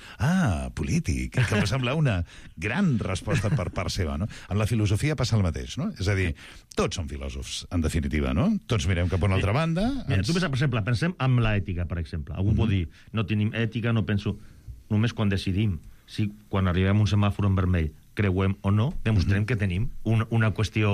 polític, que em va semblar una gran resposta per part seva, no? En la filosofia passa el mateix, no? És a dir, tots som filòsofs, en definitiva, no? Tots mirem cap a una altra banda. Mira, tu, per exemple, pensem en l'ètica, per exemple. Algú pot dir, no tenim ètica, no penso... Només quan decidim si quan arribem a un semàfor en vermell creuem o no, demostrem que tenim una qüestió,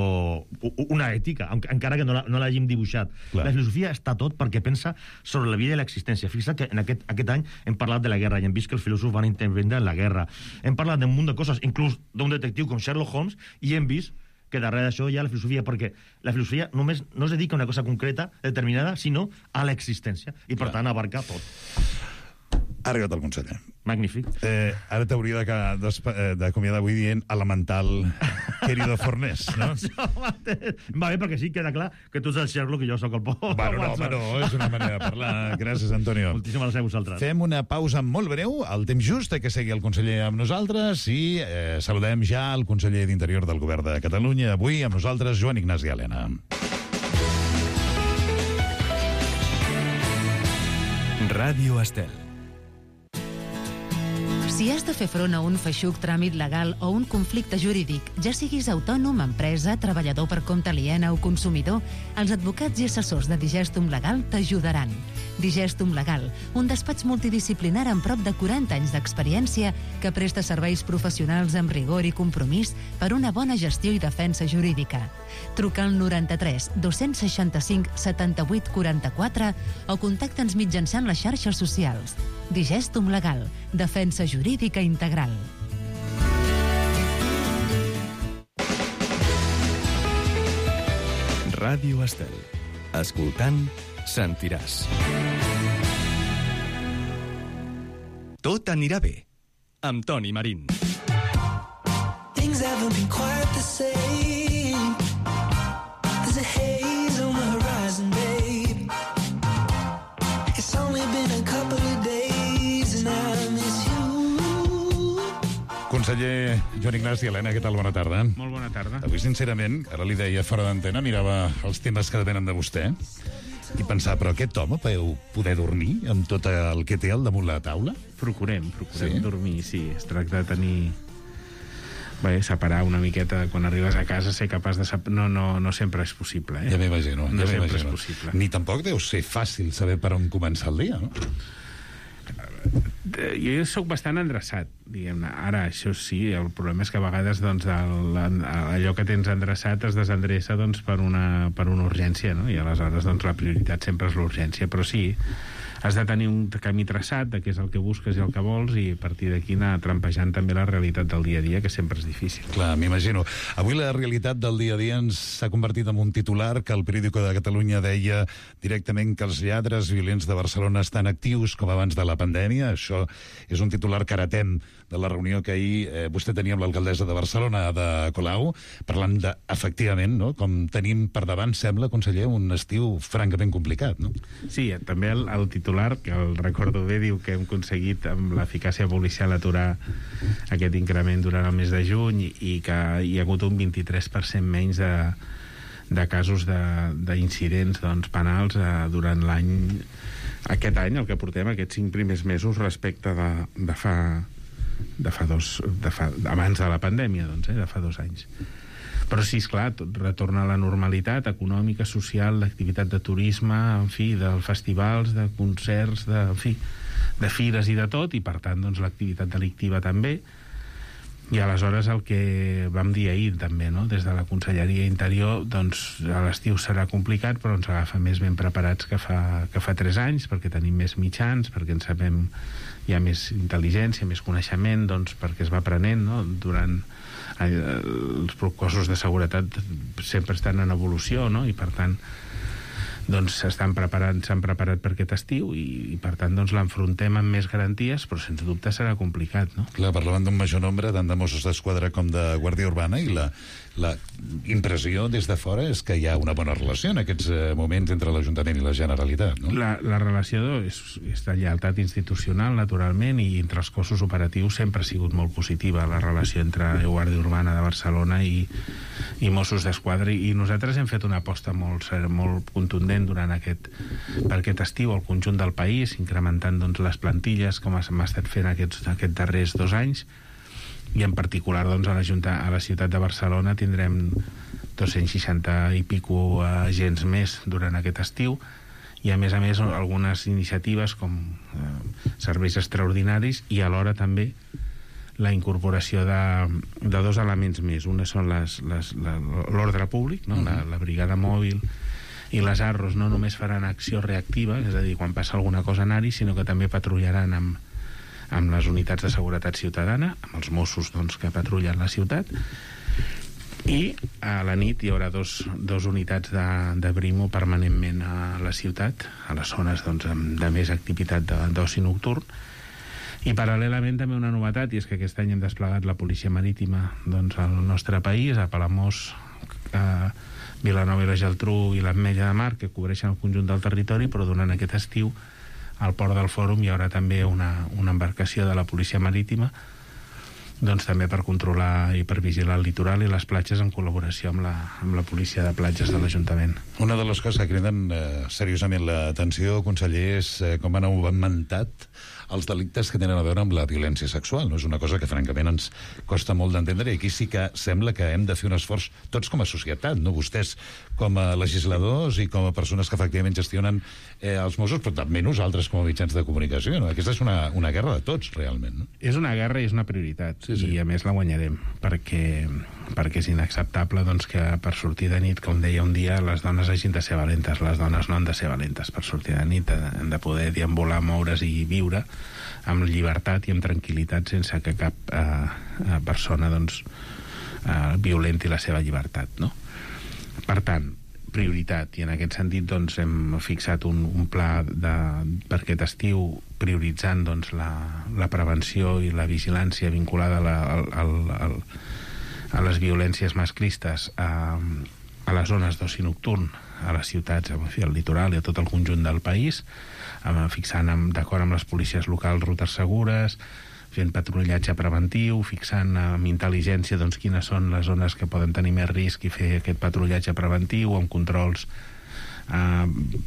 una ètica, encara que no l'hàgim dibuixat. Clar. La filosofia està tot perquè pensa sobre la vida i l'existència. Fixa't que en aquest any hem parlat de la guerra i hem vist que els filòsofs van intervindre en la guerra. Hem parlat d'un munt de coses, inclús d'un detectiu com Sherlock Holmes, i hem vist que darrere d'això hi ha la filosofia, perquè la filosofia només no es dedica a una cosa concreta, determinada, sinó a l'existència, i per tant abarca tot. Ha arribat el conseller. Magnífic. Ara t'hauria d'acomiadar avui dient elemental querido Fornés, no? Va bé, perquè sí, queda clar que tu ets el Sherlock i jo sóc el Pol. Bueno, és una manera de parlar. Gràcies, Antonio. Moltíssimes gràcies a vosaltres. Fem una pausa molt breu, al temps just, que segui el conseller amb nosaltres, i saludem ja el conseller d'Interior del Govern de Catalunya. Avui amb nosaltres, Joan Ignasi Elena. Ràdio Estel. Si has de fer front a un feixuc tràmit legal o un conflicte jurídic, ja siguis autònom, empresa, treballador per compte aliena o consumidor, els advocats i assessors de Digestum Legal t'ajudaran. Digestum Legal, un despatx multidisciplinar amb prop de 40 anys d'experiència que presta serveis professionals amb rigor i compromís per una bona gestió i defensa jurídica. Truca al 93 265 78 44 o contacta'ns mitjançant les xarxes socials. Digestum Legal, defensa jurídica integral. Ràdio Estel. Escoltant, sentiràs. Tot anirà bé, amb Toni Marín. Things haven't been quite the same. There's a haze on the horizon, babe. It's only been a couple of days and I miss you. Conseller Joan Ignasi, Helena, què tal? Bona tarda. Molt bona tarda. Avui, sincerament, ara li deia fora d'antena, mirava els temes que depenen de vostè i pensar, però aquest home podeu poder dormir amb tot el que té al damunt la taula? Procurem dormir, sí. Es tracta de tenir... Bé, separar una miqueta quan arribes a casa, ser capaç de... No sempre és possible, eh? Ja m'imagino. No sempre és possible. Ni tampoc deu ser fàcil saber per on començar el dia, no? Jo sóc bastant endreçat, diguem-ne. Ara, això sí, el problema és que a vegades doncs, allò que tens endreçat es desendreça doncs, per una urgència, no? I aleshores doncs, la prioritat sempre és l'urgència. Però sí, has de tenir un camí traçat de què és el que busques i el que vols i a partir d'aquí anar trampejant també la realitat del dia a dia, que sempre és difícil. Clar, m'imagino. Avui la realitat del dia a dia ens s'ha convertit en un titular que el Periódico de Catalunya deia directament que els lladres violents de Barcelona estan actius com abans de la pandèmia. Això és un titular que heretem de la reunió que ahir vostè tenia amb l'alcaldessa de Barcelona, Ada Colau, parlant de, efectivament, no? Com tenim per davant, sembla, conseller, un estiu francament complicat, no? Sí, també el titular, que el recordo bé, diu que hem aconseguit amb l'eficàcia policial aturar aquest increment durant el mes de juny i que hi ha hagut un 23% menys de casos d'incidents doncs, penals durant l'any, aquest any, el que portem, aquests 5 primers mesos respecte abans de la pandèmia, doncs, de fa 2 anys. Però sí, esclar, tot retorna a la normalitat econòmica, social, d'activitat de turisme, en fi, de festivals, de concerts, de fires i de tot, i per tant, doncs, l'activitat delictiva també. I aleshores el que vam dir ahir també, no? Des de la Conselleria Interior, doncs l'estiu serà complicat, però ens agafa més ben preparats que fa 3 anys, perquè tenim més mitjans, perquè en sabem, hi ha més intel·ligència, més coneixement, doncs perquè es va aprenent, no? Durant els cossos de seguretat sempre estan en evolució, no? I per tant doncs s'han preparat per aquest estiu i per tant doncs l'enfrontem amb més garanties, però sense dubte serà complicat, no? Clar, parlaven d'un major nombre tant de Mossos d'Esquadra com de Guàrdia Urbana i la impressió des de fora és que hi ha una bona relació en aquests moments entre l'Ajuntament i la Generalitat, no? La relació és de lleialtat institucional, naturalment, i entre els cossos operatius sempre ha sigut molt positiva la relació entre Guàrdia Urbana de Barcelona i Mossos d'Esquadra, i nosaltres hem fet una aposta molt contundent per aquest estiu al conjunt del país, incrementant doncs, les plantilles com hem estat fent aquests darrers 2 anys, i en particular doncs, a la ciutat de Barcelona tindrem 260 i pico agents més durant aquest estiu, i a més algunes iniciatives com serveis extraordinaris i alhora també la incorporació de 2 elements més. Una són l'ordre públic, no? La brigada mòbil i les ARROs no només faran acció reactiva, és a dir, quan passa alguna cosa anar-hi, sinó que també patrullaran amb les unitats de seguretat ciutadana, amb els Mossos doncs, que patrullen la ciutat, i a la nit hi haurà dos unitats de Brimo permanentment a la ciutat, a les zones doncs, de més activitat d'oci nocturn. I paral·lelament també una novetat, i és que aquest any hem desplegat la policia marítima doncs, al nostre país, a Palamós, a Vilanova i la Geltrú i l'Ametlla de Mar, que cobreixen el conjunt del territori, però durant aquest estiu al Port del Fòrum hi haurà també una embarcació de la policia marítima doncs també per controlar i per vigilar el litoral i les platges en col·laboració amb la policia de platges de l'Ajuntament. Una de les coses que criden seriosament l'atenció, conseller, és com han augmentat els delictes que tenen a veure amb la violència sexual, no? És una cosa que francament ens costa molt d'entendre, i aquí sí que sembla que hem de fer un esforç tots com a societat, no? Vostès com a legisladors i com a persones que efectivament gestionen els Mossos, però també nosaltres com a mitjans de comunicació, no? Aquesta és una guerra de tots, realment, no? És una guerra i és una prioritat, sí. I a més la guanyarem, perquè és inacceptable doncs, que per sortir de nit, com deia un dia, les dones hagin de ser valentes. Les dones no han de ser valentes per sortir de nit, han de poder deambular, moure's i viure amb llibertat i amb tranquil·litat, sense que cap persona doncs, violenti la seva llibertat, no? Per tant, prioritat, i en aquest sentit doncs, hem fixat un pla per aquest estiu prioritzant doncs, la prevenció i la vigilància vinculada a les violències masclistes a les zones d'oci nocturn, a les ciutats, al litoral i a tot el conjunt del país, fixant d'acord amb les policies locals rutes segures, fent patrullatge preventiu, fixant amb intel·ligència doncs, quines són les zones que poden tenir més risc i fer aquest patrullatge preventiu amb controls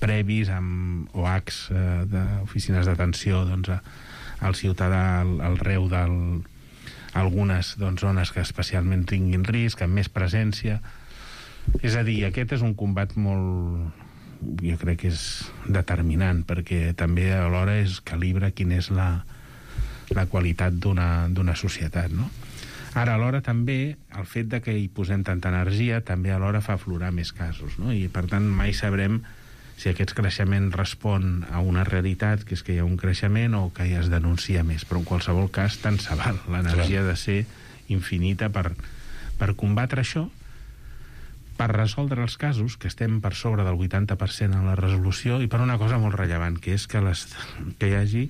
previs, amb OACs d'oficines d'atenció doncs, al ciutadà al reu d'algunes doncs, zones que especialment tinguin risc, amb més presència. És a dir, aquest és un combat molt, jo crec que és determinant, perquè també alhora es calibra quina és la qualitat d'una societat, no? Ara, alhora, també, el fet de que hi posem tanta energia també alhora fa aflorar més casos, no? I, per tant, mai sabrem si aquest creixement respon a una realitat, que és que hi ha un creixement, o que ja es denuncia més. Però, en qualsevol cas, tant se val. L'energia ha de ser infinita per combatre això, per resoldre els casos, que estem per sobre del 80% en la resolució, i per una cosa molt rellevant, que és que hi hagi...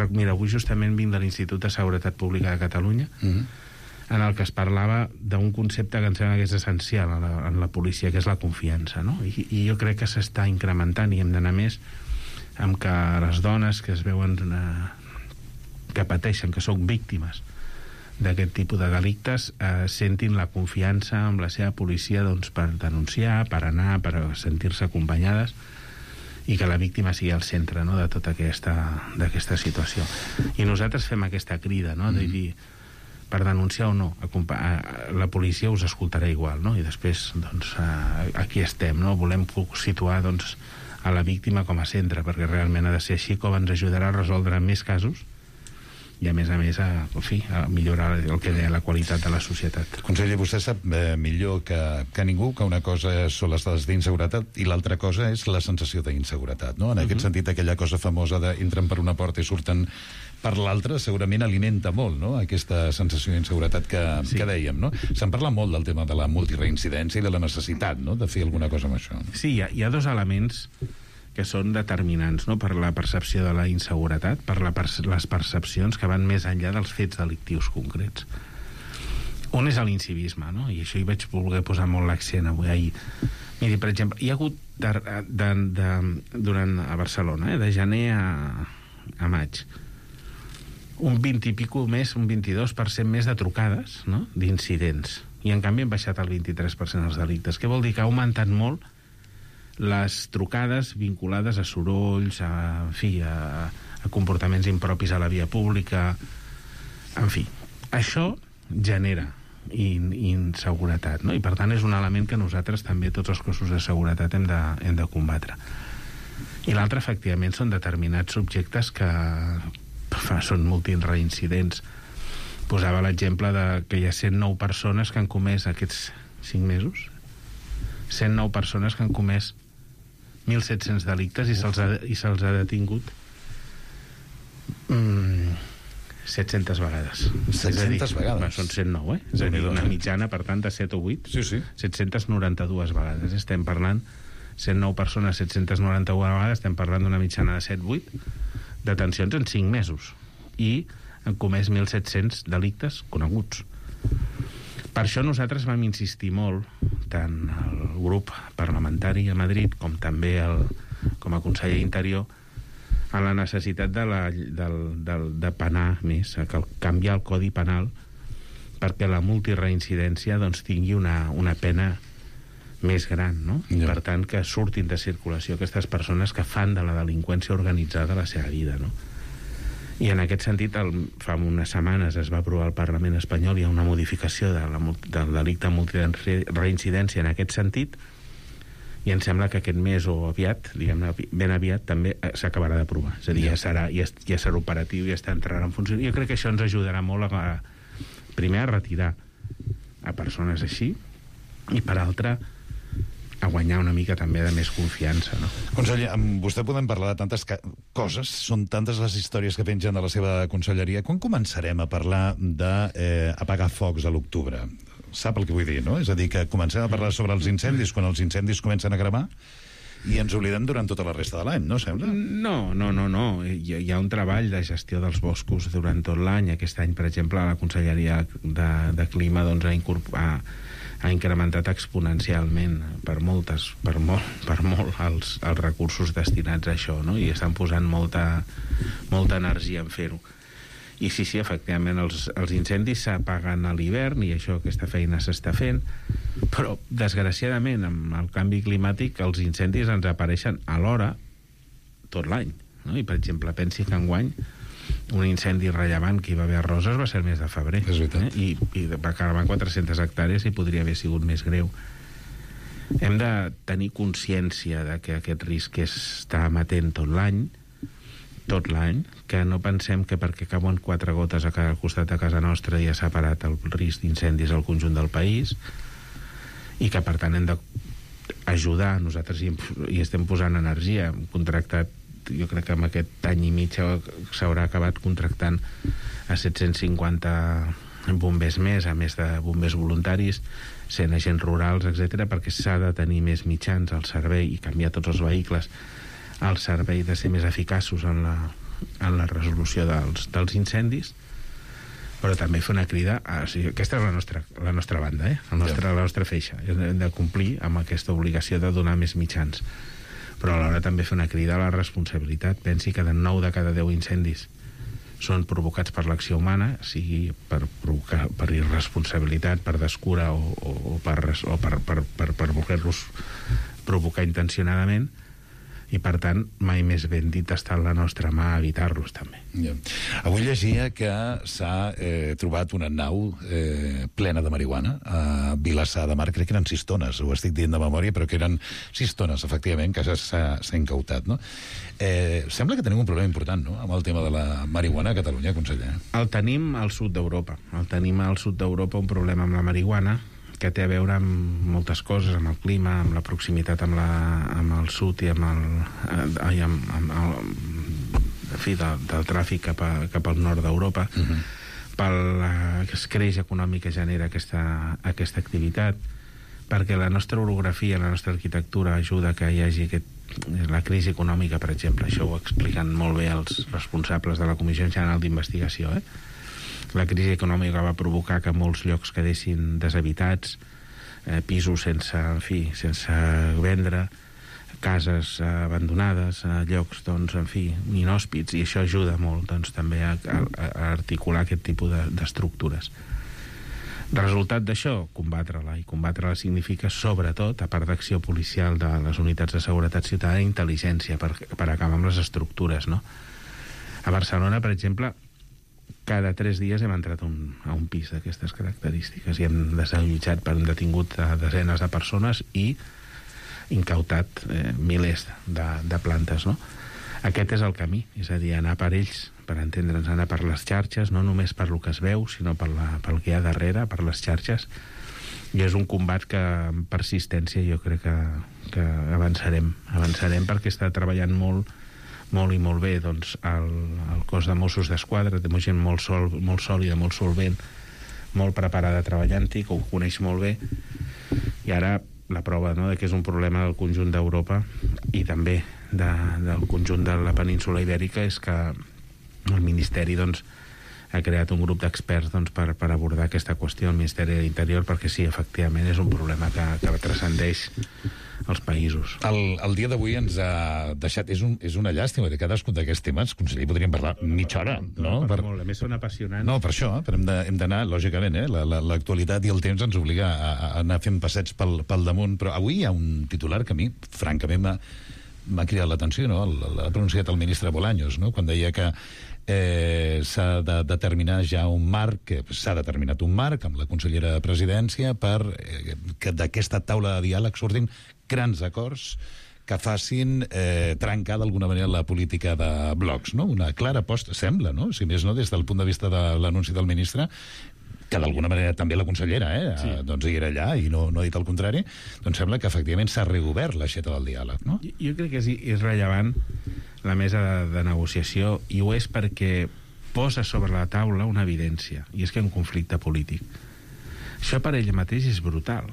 Mira, avui justament vinc de l'Institut de Seguretat Pública de Catalunya, en el que es parlava d'un concepte que em sembla que és essencial en la policia, que és la confiança, no? I jo crec que s'està incrementant, i hem d'anar més amb que les dones que es veuen que pateixen, que són víctimes d'aquest tipus de delictes, sentin la confiança amb la seva policia doncs, per denunciar, per anar, per sentir-se acompanyades, i que la víctima sigui al centre, no?, de tota d'aquesta situació. I nosaltres fem aquesta crida, no?, de dir, per denunciar o no, la policia us escoltarà igual, no?, i després, doncs, aquí estem, no?, volem situar, doncs, a la víctima com a centre, perquè realment ha de ser així com ens ajudarà a resoldre més casos, i a més, a millorar el que deia la qualitat de la societat. Conseller, vostè sap millor que ningú que una cosa són les dades d'inseguretat i l'altra cosa és la sensació d'inseguretat, no? En aquest sentit, aquella cosa famosa d'entren per una porta i surten per l'altra segurament alimenta molt, no?, aquesta sensació d'inseguretat que dèiem, no? Se'n parla molt del tema de la multireincidència i de la necessitat, no?, de fer alguna cosa amb això. Sí, hi ha dos elements que són determinants, no?, per la percepció de la inseguretat, per les percepcions que van més enllà dels fets delictius concrets. Un és l'incivisme, no?, i això hi vaig voler posar molt l'accent avui ahir. Miri, per exemple, hi ha hagut durant a Barcelona, de gener a maig, un 20 i pico més, un 22% més de trucades, no?, d'incidents, i en canvi han baixat el 23% els delictes. Què vol dir? Que ha augmentat molt les trucades vinculades a sorolls, a comportaments impropis a la via pública, en fi. Això genera inseguretat, no? I per tant és un element que nosaltres també, tots els cossos de seguretat, hem de combatre. I l'altre, efectivament, són determinats subjectes que són multireincidents. Posava l'exemple que hi ha 109 persones que han comès aquests 5 mesos, 109 persones que han comès 1.700 delictes i se'ls ha detingut 700 vegades. 700 vegades? Són 109, És a dir, una mitjana, per tant, de 7 o 8. Sí. 792 vegades. Estem parlant 109 persones, 791 vegades, estem parlant d'una mitjana de 7-8 detencions en 5 mesos. I han comès 1.700 delictes coneguts. Per això nosaltres vam insistir molt, tant el grup parlamentari a Madrid com també com a conseller d'Interior, en la necessitat de penar més, canviar el Codi Penal perquè la multireincidència doncs, tingui una pena més gran, no? Ja. Per tant, que surtin de circulació aquestes persones que fan de la delinqüència organitzada la seva vida, no? I en aquest sentit, fa unes setmanes es va aprovar al Parlament espanyol, hi ha una modificació del delicte multireincidència en aquest sentit, i em sembla que aquest mes o aviat, diguem-ne ben aviat, també s'acabarà d'aprovar. És a dir, ja serà operatiu, ja entrarà en funció. Jo crec que això ens ajudarà molt primer a retirar a persones així, i per altra a guanyar una mica també de més confiança, no? Conseller, amb vostè podem parlar de tantes coses, són tantes les històries que pengen de la seva conselleria. Quan començarem a parlar d'apagar focs a l'octubre? Sap el que vull dir, no? És a dir, que comencem a parlar sobre els incendis quan els incendis comencen a cremar i ens oblidem durant tota la resta de l'any, no sembla? No. Hi ha un treball de gestió dels boscos durant tot l'any. Aquest any, per exemple, la Conselleria de Clima doncs, ha incrementat exponencialment per molt els recursos destinats a això, no? I estan posant molta energia en fer-ho. I sí, efectivament, els incendis s'apaguen a l'hivern i aquesta feina s'està fent, però desgraciadament amb el canvi climàtic els incendis ens apareixen alhora tot l'any, no? I per exemple, pensi que enguany un incendi rellevant que hi va haver a Roses va ser el mes de febrer, i va cremar 400 hectàrees i podria haver sigut més greu. Hem de tenir consciència de que aquest risc està amatent tot l'any, que no pensem que perquè cauen 4 gotes a cada costat de casa nostra ja s'ha parat el risc d'incendis al conjunt del país, i que per tant hem d'ajudar. Nosaltres hi estem posant energia. Hem contractat, jo crec que en aquest any i mig s'haurà acabat contractant a 750 bombers més, a més de bombers voluntaris, 100 agents rurals, etc., perquè s'ha de tenir més mitjans al servei i canviar tots els vehicles al servei de ser més eficaços en la resolució dels incendis, però també fer una crida aquesta és la nostra banda, la nostra feixa. Hem de complir amb aquesta obligació de donar més mitjans, però alhora també fer una crida a la responsabilitat. Pensi que de 9 de cada 10 incendis són provocats per l'acció humana, sigui per irresponsabilitat, per descura o per voler-los provocar intencionadament, i per tant mai més ben dit està en la nostra mà evitar-los també. Avui llegia que s'ha trobat una nau plena de marihuana a Vilassar de Mar. Crec que eren 6 tones, ho estic dient de memòria, però que eren 6 tones, efectivament, que s'ha incautat, no? Sembla que tenim un problema important, no?, amb el tema de la marihuana a Catalunya, conseller. El tenim al sud d'Europa. Un problema amb la marihuana que té a veure amb moltes coses, amb el clima, amb la proximitat amb el sud i del tràfic cap al nord d'Europa, pel escreix econòmic que genera aquesta activitat, perquè la nostra orografia, la nostra arquitectura ajuda que hi hagi la crisi econòmica, per exemple. Això ho expliquen molt bé els responsables de la Comissió General d'Investigació, La crisi econòmica va provocar que molts llocs quedessin deshabitats, pisos sense vendre, cases abandonades, llocs, inhòspits, i això ajuda molt també a articular aquest tipus d'estructures. Resultat d'això, combatre-la, i combatre-la significa, sobretot, a part d'acció policial de les unitats de seguretat ciutadana, intel·ligència per acabar amb les estructures, no? A Barcelona, per exemple, cada 3 dies hem entrat a un pis d'aquestes característiques i hem detingut desenes de persones i incautat milers de plantes, no? Aquest és el camí, és a dir, anar per ells, per entendre'ns, anar per les xarxes, no només per lo que es veu, sinó pel que hi ha darrere, per les xarxes, i és un combat que amb persistència jo crec que avançarem perquè està treballant molt i molt bé el cos de Mossos d'Esquadra, té gent molt sòlida, molt solvent, molt preparada treballant-hi, que ho coneix molt bé, i ara la prova de que és un problema del conjunt d'Europa i també del conjunt de la península ibèrica és que el Ministeri ha creat un grup d'experts per abordar aquesta qüestió, el Ministeri de l'Interior, perquè sí, efectivament, és un problema que transcendeix els països. El dia d'avui ens ha deixat... És una llàstima de cadascun d'aquests temes. Conseller, podríem parlar mitja hora, no? Molt, a més són apassionants. No, per això, però hem d'anar, lògicament, l'actualitat i el temps ens obliga a anar fent passets pel damunt, però avui hi ha un titular que a mi, francament, m'ha cridat l'atenció, no? L'ha pronunciat el ministre Bolaños, no?, quan deia que s'ha de determinar ja un marc, s'ha determinat un marc amb la consellera de Presidència per que d'aquesta taula de diàleg surtin grans acords que facin trencar d'alguna manera la política de blocs, no? Una clara aposta, sembla, no? Si més no, des del punt de vista de l'anunci del ministre, que d'alguna manera també la consellera sí. Doncs hi era allà i no ha dit el contrari, doncs sembla que efectivament s'ha reobert l'aixeta del diàleg, no? Jo crec que és rellevant la mesa de negociació, i ho és perquè posa sobre la taula una evidència, i és que hi ha un conflicte polític. Això per ell mateix és brutal,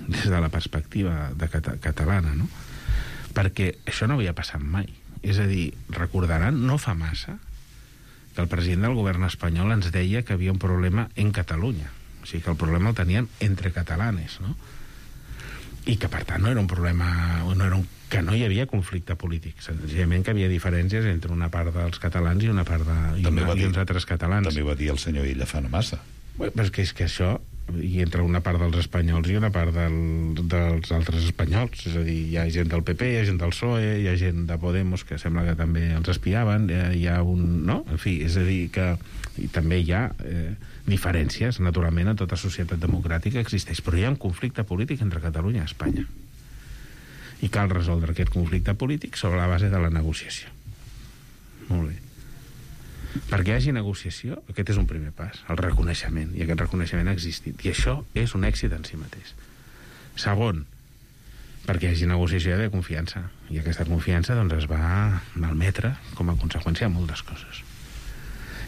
des de la perspectiva catalana, no? Perquè això no havia passat mai. És a dir, recordaran, no fa massa, que el president del govern espanyol ens deia que havia un problema en Catalunya. O sigui, que el problema el teníem entre catalanes, no? I que, per tant, no era un problema... que no hi havia conflicte polític. Senzillament que havia diferències entre una part dels catalans i una part i uns altres catalans. També ho va dir el senyor Illa fa no massa. Però és que això, i entre una part dels espanyols i una part dels altres espanyols, és a dir, hi ha gent del PP, hi ha gent del PSOE, hi ha gent de Podemos que sembla que també els espiaven, hi ha un... no? En fi, és a dir que i també hi ha diferències, naturalment, en tota societat democràtica existeix, però hi ha un conflicte polític entre Catalunya i Espanya. I cal resoldre aquest conflicte polític sobre la base de la negociació. Molt bé. Perquè hi hagi negociació, aquest és un primer pas, el reconeixement, i aquest reconeixement ha existit. I això és un èxit en si mateix. Segon, perquè hi hagi negociació hi ha d'haver confiança. I aquesta confiança doncs, es va malmetre com a conseqüència de moltes coses.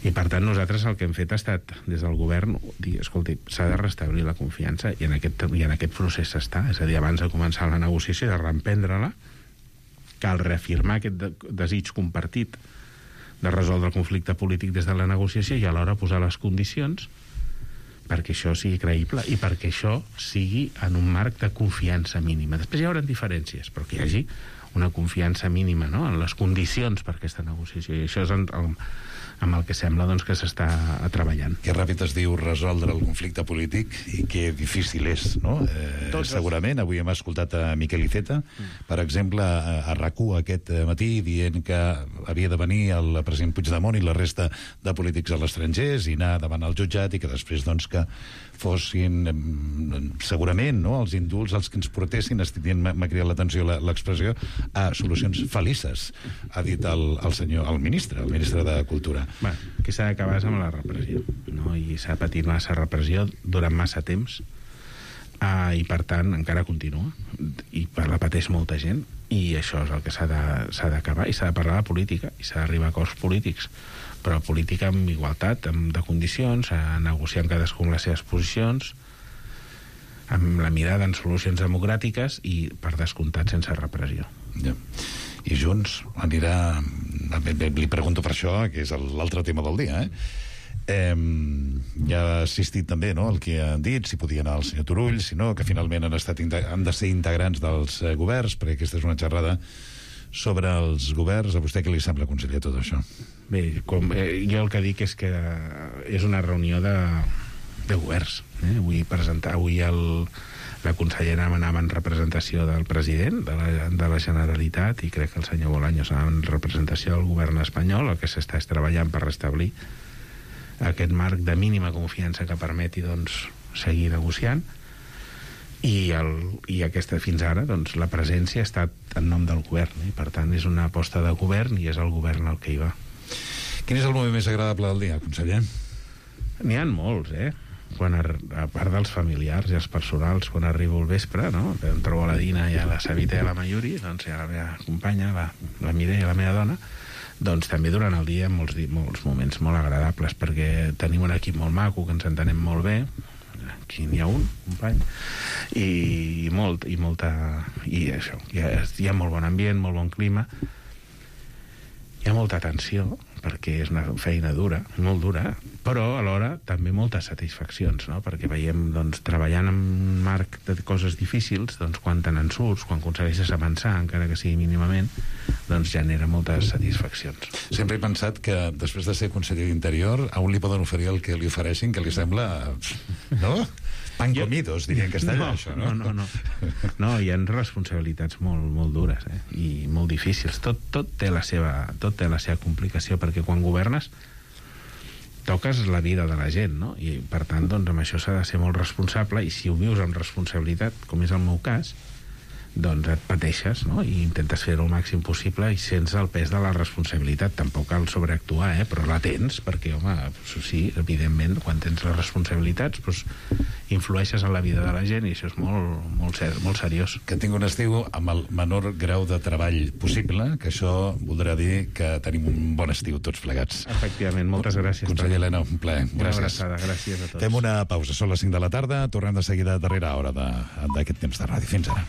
I per tant nosaltres el que hem fet ha estat des del govern dir, escolti, s'ha de restablir la confiança i en aquest procés s'està, és a dir, abans de començar la negociació i de reemprendre-la cal reafirmar aquest desig compartit de resoldre el conflicte polític des de la negociació i alhora posar les condicions perquè això sigui creïble i perquè això sigui en un marc de confiança mínima. Després hi haurà diferències, però que hi hagi una confiança mínima, no?, en les condicions per aquesta negociació, i això és amb el que sembla doncs, que s'està treballant. Que ràpid es diu resoldre el conflicte polític i que difícil és, no? Segurament, avui hem escoltat a Miquel Iceta, per exemple, a RAC1 aquest matí, dient que havia de venir el president Puigdemont i la resta de polítics a l'estranger i anar davant al jutjat i que després doncs, que fossin segurament no, els indults els que ens portessin, m'ha cridat l'atenció l'expressió, a solucions felices, ha dit el ministre de Cultura. Bé, que s'ha d'acabar amb la repressió, no? I s'ha patit massa repressió durant massa temps i per tant encara continua i la pateix molta gent i això és el que s'ha d'acabar i s'ha de parlar de política i s'ha d'arribar a acords polítics, però política amb igualtat, de condicions, a negociar amb cadascú amb les seves posicions, amb la mirada en solucions democràtiques i, per descomptat, sense repressió. Ja. I Junts anirà... Li pregunto per això, que és l'altre tema del dia, ja ha assistit també el que han dit, si podia anar el senyor Turull, si no, que finalment han de ser integrants dels governs, perquè aquesta és una xerrada sobre els governs. A vostè què li sembla, conseller, tot això? Bé, jo el que dic és que és una reunió de governs. Avui la consellera anava en representació del president de la Generalitat i crec que el senyor Bolaños anava en representació del govern espanyol. El que s'està és treballant per restablir aquest marc de mínima confiança que permeti doncs, seguir negociant i fins ara doncs, la presència ha estat en nom del govern i per tant és una aposta de govern i és el govern el que hi va. Quin és el moment més agradable del dia, conseller? N'hi ha molts, a part dels familiars i els personals, quan arribo al vespre, no? Em trobo a la Dina i a la Savita i a la Mayuri, doncs hi ha la meva companya, la Mireia, la meva dona, doncs també durant el dia molts moments molt agradables, perquè tenim un equip molt maco, que ens entenem molt bé, aquí n'hi ha un company, i això, hi ha molt bon ambient, molt bon clima, hi ha molta tensió, perquè és una feina dura, molt dura, però alhora també moltes satisfaccions, no? Perquè veiem, doncs, treballant en un marc de coses difícils, doncs, quan te n'en surts, quan aconsegueixes avançar, encara que sigui mínimament, doncs genera moltes satisfaccions. Sempre he pensat que després de ser conseller d'Interior, a un li poden oferir el que li ofereixin, que li sembla... no? Pan comidos, diria en castellà, això, no? No, hi ha responsabilitats molt dures i molt difícils. Tot té la seva complicació, perquè quan governes toques la vida de la gent, no? I, per tant, doncs, amb això s'ha de ser molt responsable, i si ho vius amb responsabilitat, com és el meu cas, doncs et pateixes, no? I intentes fer-ho el màxim possible i sents el pes de la responsabilitat. Tampoc cal sobreactuar, però la tens, perquè, home, sí, evidentment, quan tens les responsabilitats, doncs, influeixes en la vida de la gent, i això és molt seriós. Que tinc un estiu amb el menor grau de treball possible, que això voldrà dir que tenim un bon estiu tots plegats. Efectivament, moltes gràcies. Conseller Elena, un plaer. Una abraçada, gràcies a tots. Fem una pausa, són les 5 de la tarda, tornem de seguida a darrera hora d'aquest temps de ràdio. Fins ara.